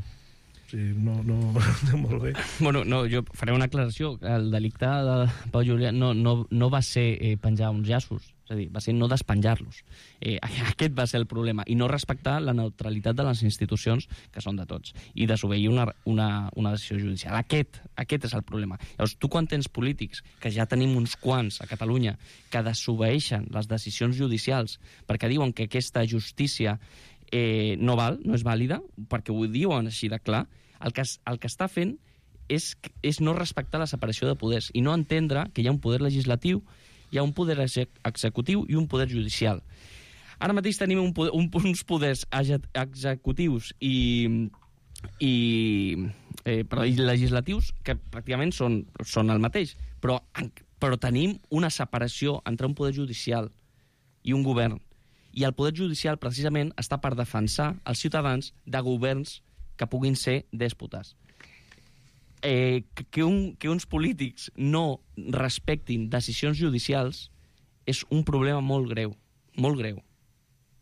Sí, no, molt bé. Bueno, no, jo faré una aclaració. El delicte de Pau Juvillà no va ser penjar uns llaços, és a dir, va ser no despenjar-los. Aquest va ser el problema, i no respectar la neutralitat de les institucions, que són de tots, i desobeir una decisió judicial. Aquest és el problema. Llavors, tu quan tens polítics, que ja tenim uns quants a Catalunya, que desobeeixen les decisions judicials perquè diuen que aquesta justícia no és vàlida, perquè ho diuen així de clar, el que està fent és no respectar la separació de poders i no entendre que hi ha un poder legislatiu, hi ha un poder executiu i un poder judicial. Ara mateix tenim uns poders executius i legislatius que pràcticament són el mateix, però tenim una separació entre un poder judicial i un govern. I el poder judicial, precisament, està per defensar els ciutadans de governs que puguin ser dèspotes. Que uns polítics no respectin decisions judicials és un problema molt greu, molt greu.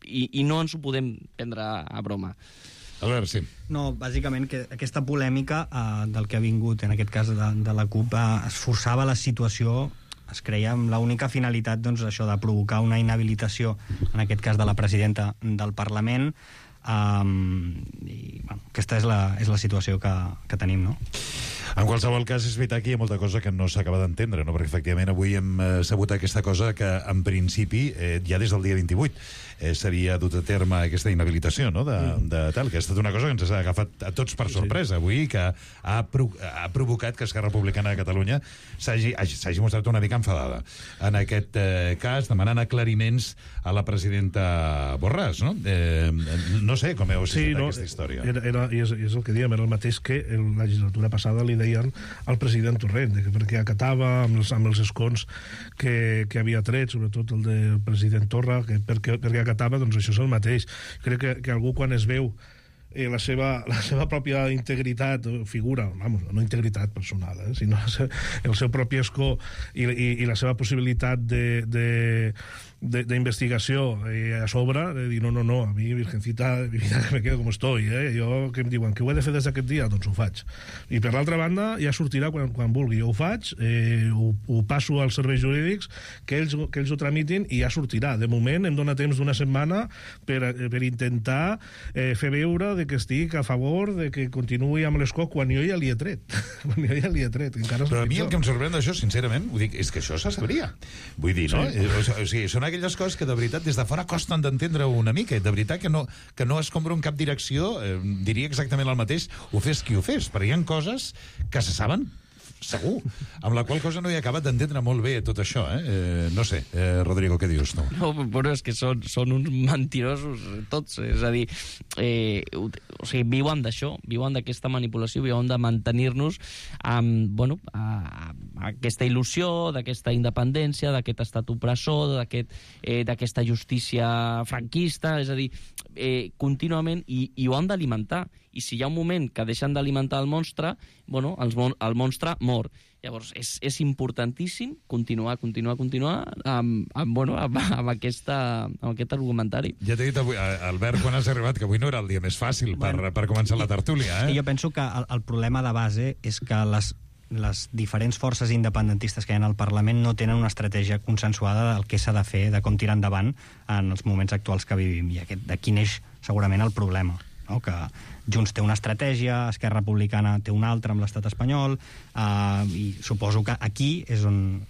I no ens ho podem prendre a broma. Albert, sí. No, bàsicament que aquesta polèmica del que ha vingut, en aquest cas de la CUP, es forçava la situació, es creia amb l'única finalitat, doncs, això de provocar una inhabilitació, en aquest cas de la presidenta del Parlament, i bueno, aquesta és la situació que tenim, no? En qualsevol cas, és veritat que hi ha molta cosa que no s'acaba d'entendre, no? Perquè efectivament avui hem sabut aquesta cosa que en principi ja des del dia 28 s'havia dut a terme aquesta inhabilitació, no? de tal, que ha estat una cosa que ens ha agafat a tots per sorpresa avui, que ha provocat que Esquerra Republicana de Catalunya s'hagi mostrat una mica enfadada en aquest cas, demanant aclariments a la presidenta Borràs, no? No sé com heu assistit aquesta història. És el que dèiem, era el mateix que en la legislatura passada li deien al president Torrent, perquè acatava amb els escons que havia tret, sobretot el del president Torra, perquè acatava, doncs això és el mateix. Crec que algú quan es veu la seva pròpia integritat, figura, no integritat personal, sinó el seu propi escó i la seva possibilitat d'investigació a sobre, de dir, no, a mi, virgencita, mi vida, que me quedo com estoy, jo, que em diuen, que ho he de fer des d'aquest dia, doncs ho faig. I per l'altra banda, ja sortirà quan vulgui, jo ho faig, ho passo als serveis jurídics, que ells ho tramitin i ja sortirà. De moment em dona temps d'una setmana per intentar fer veure de que estic a favor de que continuï amb l'escó quan jo ja li he tret. Però a mi el que em sorprèn d'això, sincerament, ho dic, és que això se sabria. Vull dir, no? O sigui, són aquelles coses que de veritat des de fora costen d'entendre una mica, de veritat que no es compra en cap direcció, diria exactament el mateix, ho fes qui ho fes, però hi ha coses que se saben segur, amb la qual cosa no he acabat d'entendre molt bé tot això, no sé, Rodrigo, què dius tu? No, però és que són uns mentirosos tots, és a dir, o sigui, viuen d'això, viuen d'aquesta manipulació, viuen de mantenir-nos amb, aquesta il·lusió, d'aquesta independència, d'aquest estat opressor, d'aquesta justícia franquista, és a dir, contínuament, i ho han d'alimentar. I si hi ha un moment que deixen d'alimentar el monstre, el monstre mor. Llavors, és importantíssim continuar amb aquest argumentari. Ja t'he dit avui, Albert, quan has arribat, que avui no era el dia més fàcil per començar la tertúlia. Jo penso que el problema de base és que les diferents forces independentistes que hi ha al Parlament no tenen una estratègia consensuada del que s'ha de fer, de com tirar endavant en els moments actuals que vivim. I d'aquí neix segurament el problema, no? Que Junts té una estratègia, Esquerra Republicana té una altra amb l'estat espanyol, i suposo que aquí és on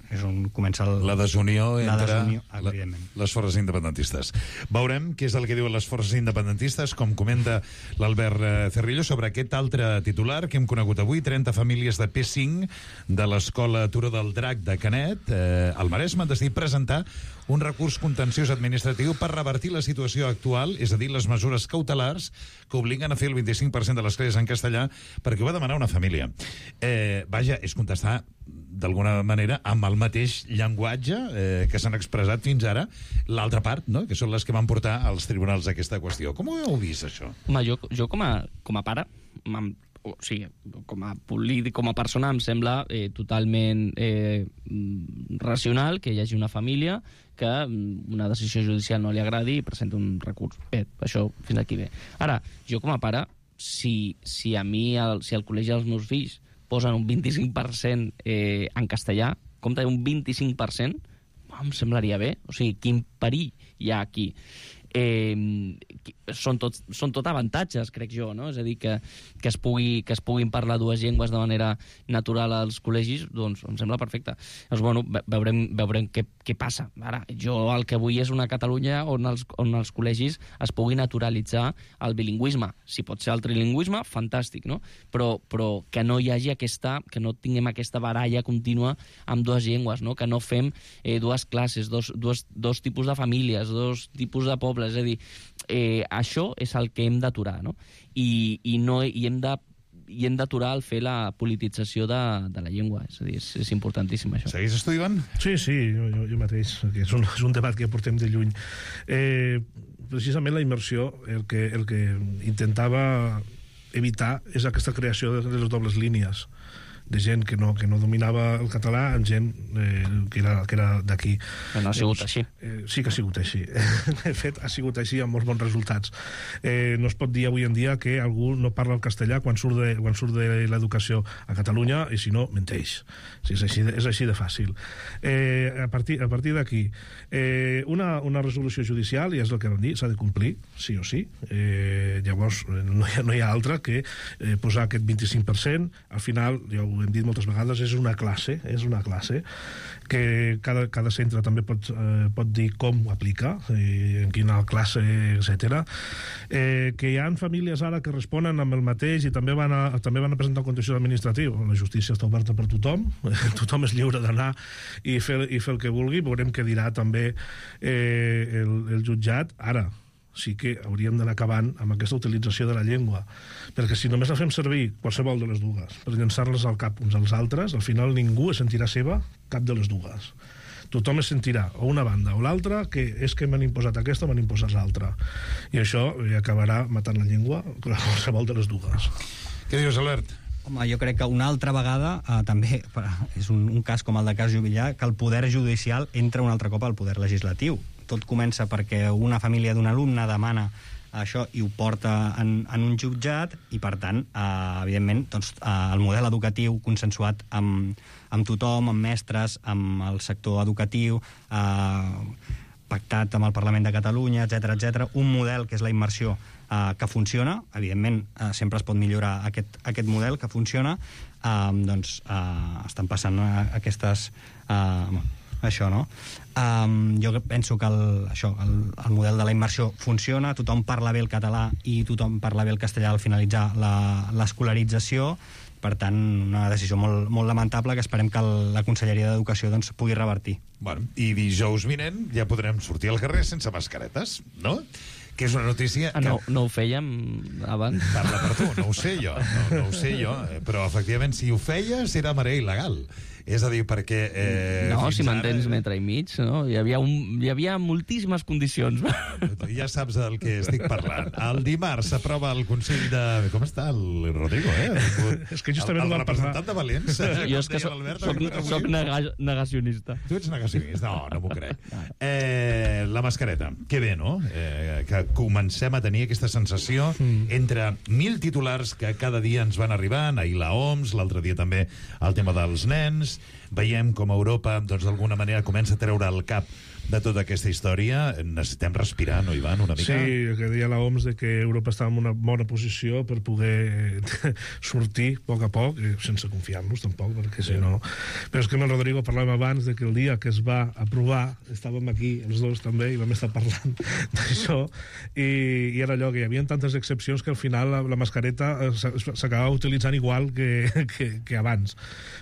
comença la desunió entre evidentment, les forces independentistes. Veurem què és el que diuen les forces independentistes, com comenta l'Albert Cerrillo, sobre aquest altre titular que hem conegut avui: 30 famílies de P5 de l'escola Turó del Drac de Canet, al Maresme, han decidit presentar un recurs contenciós administratiu per revertir la situació actual, és a dir, les mesures cautelars que obliguen a fer el 25% de les classes en castellà, perquè ho va demanar una família. Vaja, és contestar d'alguna manera amb el mateix llenguatge que s'han expressat fins ara l'altra part, no? Que són les que van portar als tribunals aquesta qüestió. Com ho heu vist, això? Home, jo com a pare, o sigui, com a polític, com a persona, em sembla totalment racional que hi hagi una família que una decisió judicial no li agradi i presenta un recurs. Bé, això fins aquí bé. Ara, jo com a pare, si al col·legi dels meus fills posen un 25% en castellà, compte un 25%, em semblaria bé. O sigui, quin perill hi ha aquí? Són tot avantatges, crec jo, no? És a dir, que es puguin parlar dues llengües de manera natural als col·legis, doncs em sembla perfecte. Llavors, veurem què passa. Ara, jo el que vull és una Catalunya on els col·legis es pugui naturalitzar el bilingüisme. Si pot ser el trilingüisme, fantàstic, no? Però que no hi hagi que no tinguem aquesta baralla contínua amb dues llengües, no? Que no fem dues classes, dos tipus de famílies, dos tipus de pobles. És a dir, això és el que hem d'aturar, no? I hem d'aturar el fer la politització de la llengua. És a dir, és importantíssim, això. Segueix estudiant? Sí, jo mateix. És un debat que portem de lluny. Precisament la immersió, el que intentava evitar és aquesta creació de les dobles línies, de gent que no dominava el català amb gent que era d'aquí. Però no ha sigut així. Sí que ha sigut així. De fet, ha sigut així amb molts bons resultats. No es pot dir avui en dia que algú no parla el castellà quan surt de l'educació a Catalunya, i si no, menteix. És així de fàcil. A partir d'aquí, una resolució judicial, i és el que vam dir, s'ha de complir, sí o sí. Llavors, no hi ha altra que posar aquest 25%. Al final, ja ho ho hem dit moltes vegades, és una classe que cada centre també pot dir com ho aplica, en quina classe, etc. Que hi ha famílies ara que responen amb el mateix i també van a presentar un contenciós administratiu. La justícia està oberta per tothom, tothom és lliure d'anar i fer el que vulgui. Veurem què dirà també el jutjat. Ara, sí que hauríem d'anar acabant amb aquesta utilització de la llengua, perquè si només la fem servir qualsevol de les dues per llançar-les al cap uns als altres, al final ningú es sentirà seva cap de les dues. Tothom es sentirà o una banda o l'altra, que és que m'han imposat aquesta o m'han imposat l'altra, i això acabarà matant la llengua qualsevol de les dues. Què dius, Albert? Home, jo crec que una altra vegada també és un cas com el de Cas Juvillà, que el poder judicial entra un altre cop al poder legislatiu. Tot comença perquè una família d'un alumne demana això i ho porta en un jutjat i, per tant, evidentment, doncs, el model educatiu consensuat amb tothom, amb mestres, amb el sector educatiu, pactat amb el Parlament de Catalunya, etc., un model que és la immersió que funciona, evidentment sempre es pot millorar aquest model que funciona, doncs estan passant aquestes... això, no? Jo penso que el model de la immersió funciona, tothom parla bé el català i tothom parla bé el castellà al finalitzar l'escolarització. Per tant, una decisió molt, molt lamentable que esperem que la Conselleria d'Educació doncs, pugui revertir. Bueno, i dijous vinent ja podrem sortir al carrer sense mascaretes, no? Que és una notícia... No ho fèiem abans? Parla per tu, no ho sé jo, no ho sé jo, però efectivament si ho feies era marea il·legal. És a dir, perquè... No, si mantens metre i mig, no? Hi havia moltíssimes condicions. Ja saps del que estic parlant. El dimarts s'aprova el Consell de... Com està el Rodrigo, És que justament el representant de Valents. Jo és que soc negacionista. Tu ets negacionista? No m'ho crec. La mascareta. Que bé, no? Que comencem a tenir aquesta sensació entre 1.000 titulars que cada dia ens van arribant, ahir la OMS, l'altre dia també el tema dels nens. Veiem com Europa, doncs, d'alguna manera comença a treure el cap de tota aquesta història. Necessitem respirar, no, Ivan, una mica? Sí, que deia la OMS que Europa estava en una bona posició per poder sortir a poc, sense confiar-nos tampoc, perquè si no... Però és que amb el Rodrigo parlàvem abans de que el dia que es va aprovar, estàvem aquí els dos també i vam estar parlant d'això, i era allò que hi havia tantes excepcions que al final la mascareta s'acabava utilitzant igual que abans.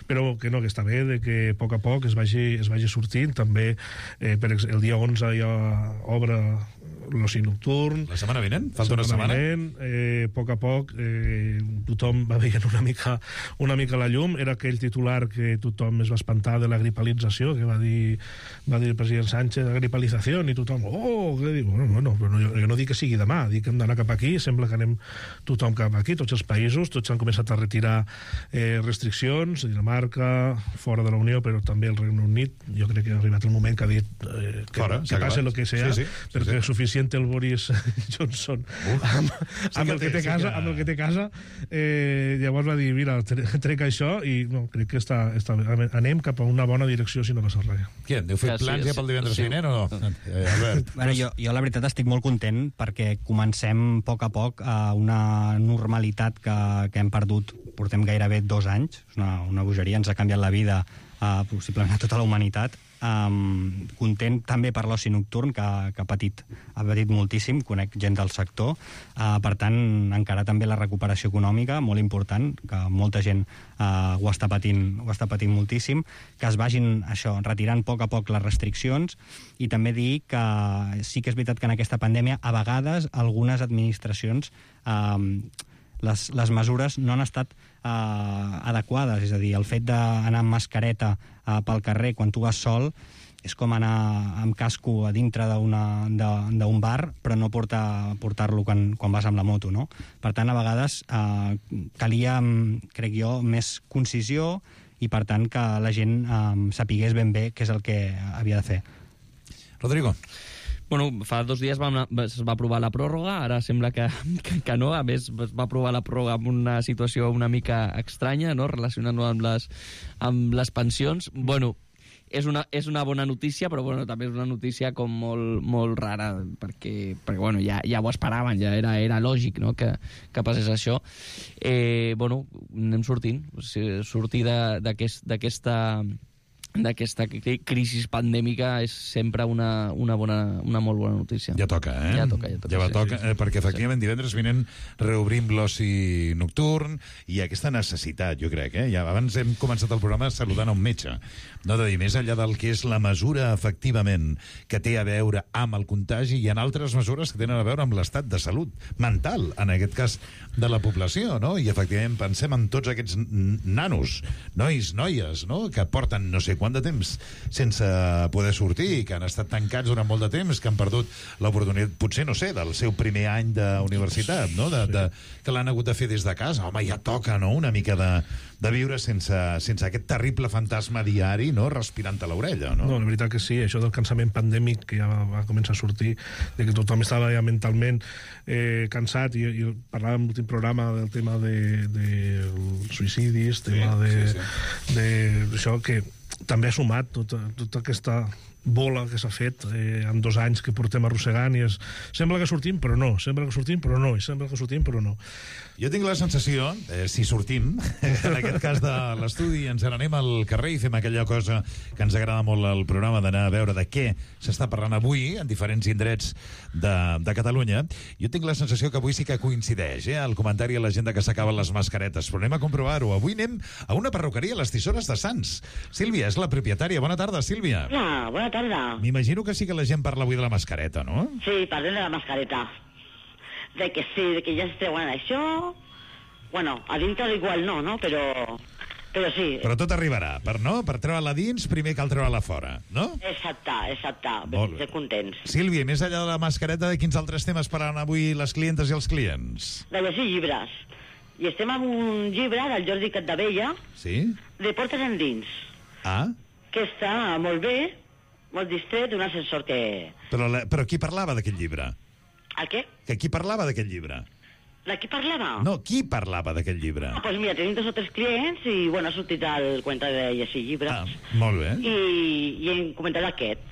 Però que no, que està bé de que a poc es vagi sortint. També el dia 11 ja obre l'oci nocturn. La setmana vinent? Falta una setmana? A poc tothom va veient una mica la llum. Era aquell titular que tothom es va espantar de la gripalització, que va dir el president Sánchez, la gripalització, i tothom, què diu? Bueno, però jo no dic que sigui demà, dic que hem d'anar cap aquí, sembla que anem tothom cap aquí, tots els països, tots han començat a retirar restriccions, Dinamarca, fora de la Unió, però també el Regne Unit. Jo crec que ha arribat el moment que ha dit que passe el que sea, perquè és suficient el Boris Johnson amb el que té casa, llavors va dir, mira, trec això i no, crec que anem cap a una bona direcció si no passa res. Què, heu fet plans ja pel divendres vinent o no? Albert? Jo la veritat estic molt content perquè comencem a poc a una normalitat que hem perdut, portem gairebé 2 anys, és una bogeria, ens ha canviat la vida possiblement a tota la humanitat. Content també per l'oci nocturn que ha patit moltíssim, conec gent del sector, per tant encara també la recuperació econòmica molt important, que molta gent ho està patint moltíssim, que es vagin retirant a poc les restriccions, i també dir que sí que és veritat que en aquesta pandèmia a vegades algunes administracions les mesures no han estat adequades, és a dir, el fet d'anar amb mascareta pel carrer quan tu vas sol és com anar amb casco a dintre d'un bar, però no portar-lo quan vas amb la moto, no? Per tant, a vegades calia, crec jo, més concisió i, per tant, que la gent sapigués ben bé què és el que havia de fer. Rodrigo. Bueno, fa 2 dies es va aprovar la pròrroga, ara sembla que no, a més es va aprovar la pròrroga amb una situació una mica estranya, no?, relacionant-ho amb les pensions. Bueno, és una bona notícia, però bueno, també és una notícia com molt rara, perquè bueno, ja ho esperaven, ja era lògic, no?, que passés això. Bueno, anem sortint. Sortir d'aquesta crisi pandèmica és sempre una molt bona notícia. Ja toca, eh? Ja toca. Ja toca, perquè efectivament divendres vinent reobrim l'oci nocturn i aquesta necessitat, jo crec, ja abans hem començat el programa saludant a un metge, no, de dir, més enllà del que és la mesura efectivament que té a veure amb el contagi, hi ha altres mesures que tenen a veure amb l'estat de salut mental, en aquest cas de la població, no? I efectivament pensem en tots aquests nanos, nois, noies, no?, que porten no sé quant de temps sense poder sortir, que han estat tancats durant molt de temps, que han perdut l'oportunitat, potser, no sé, del seu primer any d'universitat, no?, que l'han hagut de fer des de casa. Home, ja toca, no?, una mica de viure sense aquest terrible fantasma diari, no?, respirant a l'orella, no? No, la veritat que sí, això del cansament pandèmic que ja va començar a sortir, de que tothom estava ja mentalment cansat, i parlàvem en l'últim programa del tema de suïcidis, tema d'això, que també ha sumat tota aquesta bola que s'ha fet en 2 anys que portem arrossegant, i sembla que sortim però no, sembla que sortim però no, i sembla que sortim però no. Jo tinc la sensació, si sortim, en aquest cas de l'estudi, ens n'anem al carrer i fem aquella cosa que ens agrada molt al programa, d'anar a veure de què s'està parlant avui en diferents indrets de Catalunya. Jo tinc la sensació que avui sí que coincideix, el comentari a la gent que s'acaben les mascaretes, però anem a comprovar-ho. Avui anem a una perruqueria a les Tisores de Sants. Sílvia és la propietària. Bona tarda, Sílvia. Hola, bona tarda. M'imagino que sí que la gent parla avui de la mascareta, no? Sí, parlem de la mascareta. De que sí, de que ja es treuen això. Bueno, a dintre igual no? Però sí. Però tot arribarà. Per treure-la dins, primer cal treure-la fora, no? Exacte. Molt bé. Contents. Sílvia, més enllà de la mascareta, de quins altres temes pararan avui les clientes i els clients? De llegir llibres. I estem amb un llibre del Jordi Capdevella. Sí? De Portes endins. Ah? Que està molt bé, molt distret, d'un ascensor que... Però qui parlava d'aquest llibre? El què? Que qui parlava d'aquest llibre? De qui parlava? No, qui parlava d'aquest llibre? Doncs mira, tenim 2 o 3 clients i, bueno, ha sortit el cuento de llegir llibres. Molt bé. I hem comentat aquest.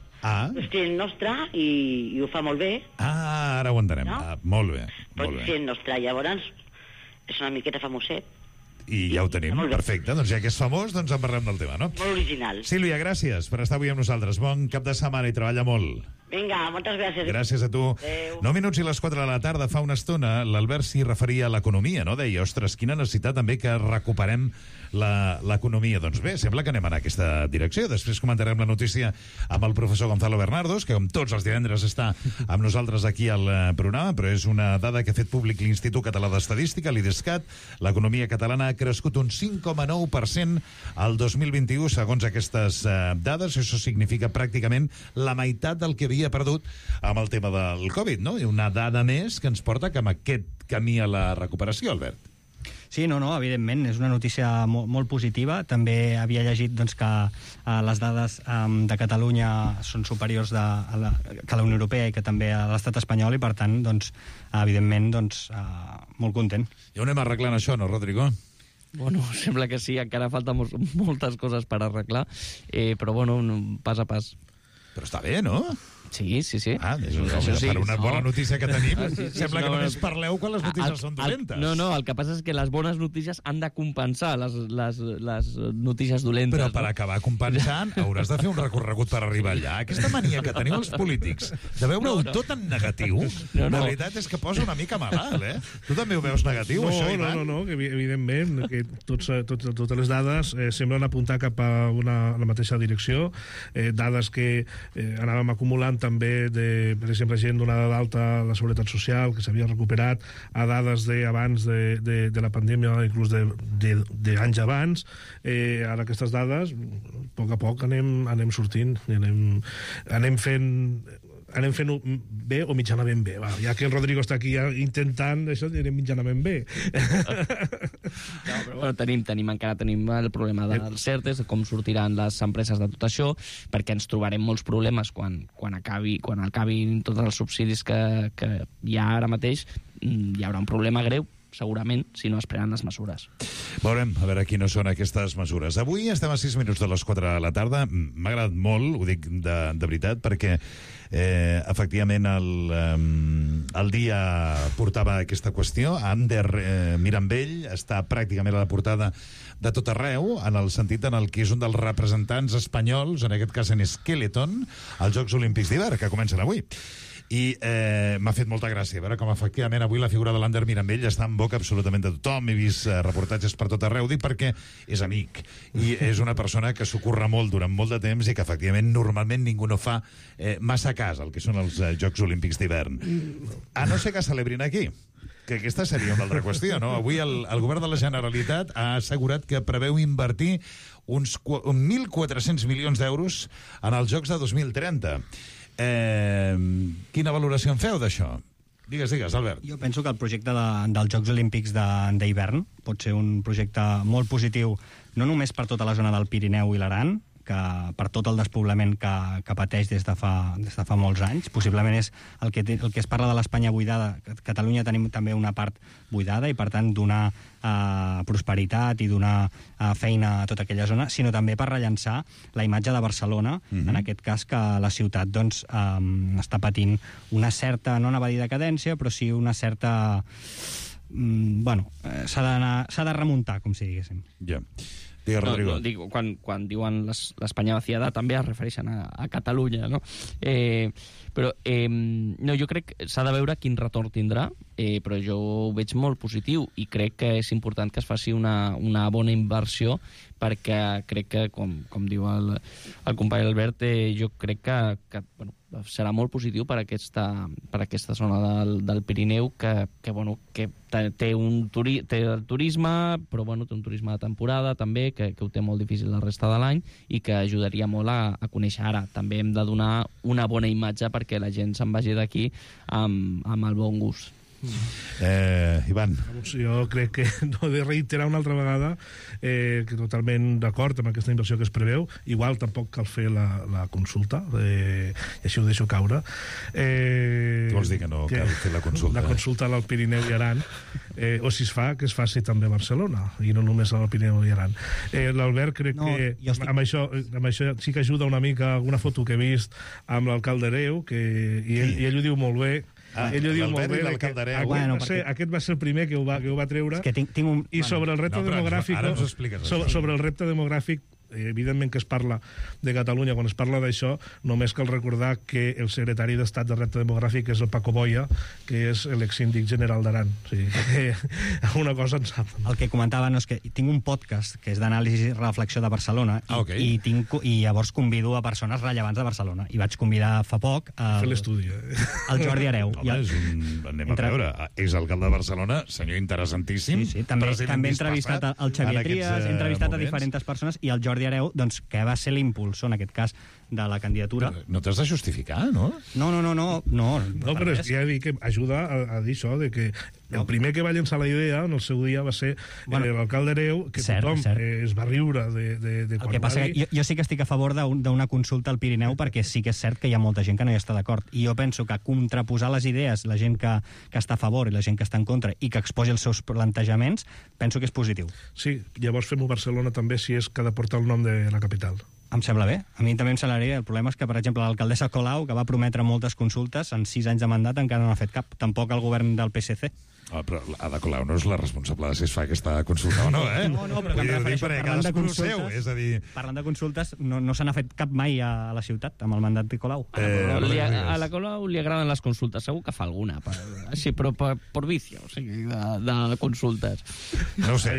És client nostre i ho fa molt bé. Ara ho entenem. No? Molt bé. Però client nostre, llavors, és una miqueta famoset. I ja ho tenim, perfecte. Doncs ja que és famós, doncs en parlem del tema, no? Molt original. Sílvia, gràcies per estar avui amb nosaltres. Bon cap de setmana i treballa molt. Vinga, moltes gràcies. Gràcies a tu. Adéu. 9 minuts i les 4 de la tarda. Fa una estona l'Albert s'hi referia a l'economia, no? Deia, ostres, quina necessitat també que recuperem l'economia. Doncs bé, sembla que anem en aquesta direcció. Després comentarem la notícia amb el professor Gonzalo Bernardos, que com tots els divendres està amb nosaltres aquí al programa, però és una dada que ha fet públic l'Institut Català d'Estadística, l'IDESCAT. L'economia catalana ha crescut un 5,9% al 2021, segons aquestes dades. Això significa pràcticament la meitat del que havia perdut amb el tema del Covid, no? I una dada més que ens porta cap a aquest camí a la recuperació, Albert. Sí, no, evidentment, és una notícia molt positiva. També havia llegit doncs, que les dades de Catalunya són superiors que la Unió Europea i que també a l'estat espanyol, i per tant, doncs, evidentment, doncs, molt content. Ja ho anem arreglant això, no, Rodrigo? Bueno, sembla que sí, encara falten moltes coses per arreglar, però bueno, pas a pas. Però està bé, no? Sí. Per una bona notícia que tenim, sembla que només parleu quan les notícies són dolentes. No, el que passa és que les bones notícies han de compensar les notícies dolentes. Però per acabar compensant hauràs de fer un recorregut per arribar allà. Aquesta mania que teniu els polítics de veure-ho tot en negatiu, la veritat és que posa una mica malalt, Tu també ho veus negatiu, això, Ivan? No, que evidentment que totes les dades semblen apuntar cap a la mateixa direcció, dades que anàvem acumulant també, per exemple, gent donada d'alta a la Seguretat Social, que s'havia recuperat, a dades d'abans de la pandèmia, inclús d'anys abans. Ara aquestes dades, a poc anem sortint, anem fent bé o mitjanament bé. Ja que el Rodrigo està aquí intentant això, anem mitjanament bé. Però encara tenim el problema dels CERTES, de com sortiran les empreses de tot això, perquè ens trobarem molts problemes quan acabin tots els subsidis que hi ha ara mateix. Hi haurà un problema greu segurament, si no es prenen les mesures. Veurem, a veure quines són aquestes mesures. Avui estem a 6 minuts de les 4 de la tarda. M'ha agradat molt, ho dic de veritat, perquè efectivament el dia portava aquesta qüestió. Ander Mirambell està pràcticament a la portada de tot arreu, en el sentit en el que és un dels representants espanyols, en aquest cas en Skeleton, als Jocs Olímpics d'hivern, que comencen avui. I m'ha fet molta gràcia veure com efectivament avui la figura de l'Ander Mirambell està en boca absolutament de tothom. He vist reportatges per tot arreu, dic perquè és amic i és una persona que s'ocorre molt durant molt de temps i que efectivament normalment ningú no fa massa cas al que són els Jocs Olímpics d'hivern, a no ser que celebrin aquí, que aquesta seria una altra qüestió, no? Avui el govern de la Generalitat ha assegurat que preveu invertir uns 1.400 milions d'euros en els Jocs de 2030. Quina valoració en feu d'això? Digues, Albert. Jo penso que el projecte dels Jocs Olímpics d'hivern pot ser un projecte molt positiu, no només per tota la zona del Pirineu i l'Aran, que per tot el despoblament que pateix des de fa molts anys. Possiblement és el que es parla de l'Espanya buidada. A Catalunya tenim també una part buidada i, per tant, donar prosperitat i donar feina a tota aquella zona, sinó també per rellançar la imatge de Barcelona, en aquest cas que la ciutat doncs, està patint una certa, no anava a dir decadència, però sí una certa... s'ha de remuntar, com si diguéssim. Ja. Digues, Rodrigo. Dic, quan diuen l'Espanya vaciada també es refereixen a Catalunya, no? No, jo crec que s'ha de veure quin retorn tindrà, però jo ho veig molt positiu i crec que és important que es faci una bona inversió, perquè crec que, com diu el company Albert, jo crec que serà molt positiu per aquesta zona del Pirineu, que té el turisme, però té un turisme de temporada també, que ho té molt difícil la resta de l'any i que ajudaria molt a conèixer ara. També hem de donar una bona imatge perquè la gent se'n vagi d'aquí amb el bon gust. Ivan. Jo crec que no he de reiterar una altra vegada que totalment d'acord amb aquesta inversió que es preveu. Igual tampoc cal fer la consulta, i així ho deixo caure. Què vols dir que no cal fer la consulta? La consulta al Pirineu i Aran, o si es fa, que es faci també a Barcelona i no només al Pirineu i Aran. L'Albert crec que amb això sí que ajuda una mica alguna foto que he vist amb l'alcalde Hereu, i ell ho diu molt bé. Ell ho diu molt bé. Aquest va ser el primer que ho va treure. I sobre el repte demogràfic... Ara ens ho expliques. Sobre el repte demogràfic, evidentment que es parla de Catalunya, quan es parla d'això, només cal recordar que el secretari d'Estat de Repte Demogràfic és el Paco Boya, que és l'exsíndic general d'Aran. O sigui, alguna cosa en sap. El que comentava és que tinc un podcast que és d'anàlisi i reflexió de Barcelona, i llavors convido a persones rellevants de Barcelona. I vaig convidar fa poc fer l'estudi, el Jordi Hereu. Anem a veure, és alcalde de Barcelona, senyor interessantíssim. Sí, també he entrevistat el Xavier Trias, he entrevistat a diferents persones, i el Jordi Hereu, doncs, que va ser l'impulsor, en aquest cas, de la candidatura. No t'has de justificar, no? No, però ja dic que ajuda a dir això, de que el primer que va llençar la idea en el seu dia va ser l'alcalde Hereu, que tothom es va riure de quan el que passa que jo sí que estic a favor d'una consulta al Pirineu, perquè sí que és cert que hi ha molta gent que no hi està d'acord, i jo penso que contraposar les idees, la gent que està a favor i la gent que està en contra, i que exposi els seus plantejaments, penso que és positiu. Sí, llavors fem-ho a Barcelona també, si és que ha de portar el nom de la capital. Em sembla bé. A mi també em semblaria. El problema és que, per exemple, l'alcaldessa Colau, que va prometre moltes consultes, en 6 anys de mandat encara no ha fet cap. Tampoc el govern del PSC. Però Ada Colau no és la responsable de si es fa aquesta consulta o no, eh? No, però que em refereixo, parlant de consultes, no se n'ha fet cap mai a la ciutat, amb el mandat de Colau. A la Colau li agraden les consultes, segur que fa alguna, sí, però per vicio, o sigui, de consultes. No ho sé.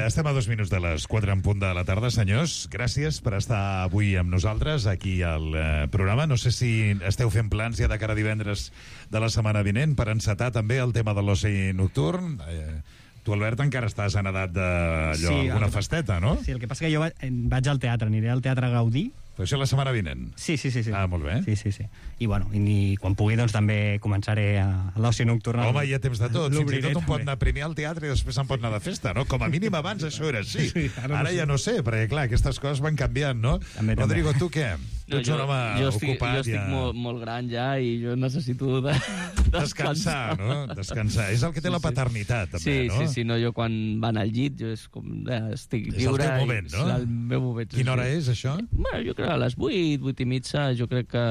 Estem a 2 minuts de les 4 en punt de la tarda, senyors. Gràcies per estar avui amb nosaltres aquí al programa. No sé si esteu fent plans ja de cara a divendres de la setmana vinent per encetar també el tema de l'oci nocturn. Tu, Albert, encara estàs en edat alguna festeta, no? Sí, el que passa que jo vaig al teatre, aniré al Teatre Gaudí. Però això la setmana vinent? Sí. Ah, molt bé. Sí. I, quan pugui, doncs, també començaré a l'oci nocturn. Home, hi ha temps de tot. Fins i tot un pot anar primer al teatre i després se'n pot anar de festa, no? Com a mínim abans això era així. Ara ja no sé, perquè, clar, aquestes coses van canviant, no? Rodrigo, tu què? Tu ets un home ocupat. Jo estic molt gran ja i jo necessito descansar, no? Descansar. És el que té la paternitat, també, no? Sí, no, jo quan van al llit jo és com... estic lliure. És el teu moment, no? És el meu moment. Quina hora és, això? Bueno, jo crec a les 8, 8 i mitja, jo crec que...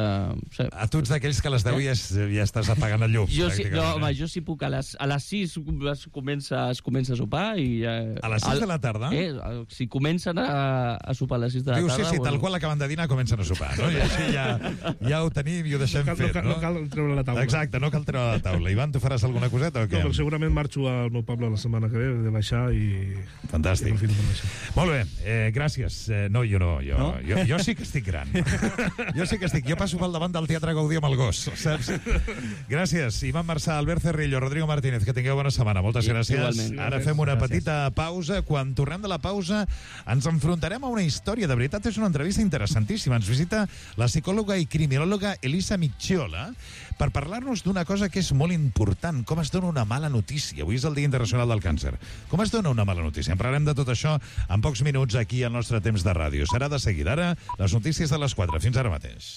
Sí. A tu ets d'aquells que a les 10 ja estàs apagant el llum. Jo sí puc. A les 6 es comença a sopar i... A les 6 de la tarda? Si comencen a sopar a les 6 de la tarda... Sí, tal qual acaben de dinar comencen a sopar, no? I així ja ho tenim i ho deixem fet, no? No cal treure la taula. Exacte, no cal treure la taula. Ivan, tu faràs alguna coseta o què? No, però segurament marxo al meu poble la setmana que ve, de baixar i... Fantàstic. Molt bé, gràcies. No, jo no. Jo sí que estic gran. Jo sí que estic. Jo passo pel davant del Teatre Gaudí amb el gos, saps? Gràcies. Ivan Marçà, Albert Cerrillo, Rodrigo Martínez, que tingueu bona setmana. Moltes gràcies. Igualment. Ara fem una petita pausa. Quan tornem de la pausa ens enfrontarem a una història. De veritat, és una entrevista interessantíssima. Ens visita la psicòloga i criminòloga Elisa Micciola per parlar-nos d'una cosa que és molt important, com es dona una mala notícia. Avui és el Dia Internacional del Càncer. Com es dona una mala notícia? En parlarem de tot això en pocs minuts aquí al nostre temps de ràdio. Serà de seguida. Ara, les notícies de les 4. Fins ara mateix.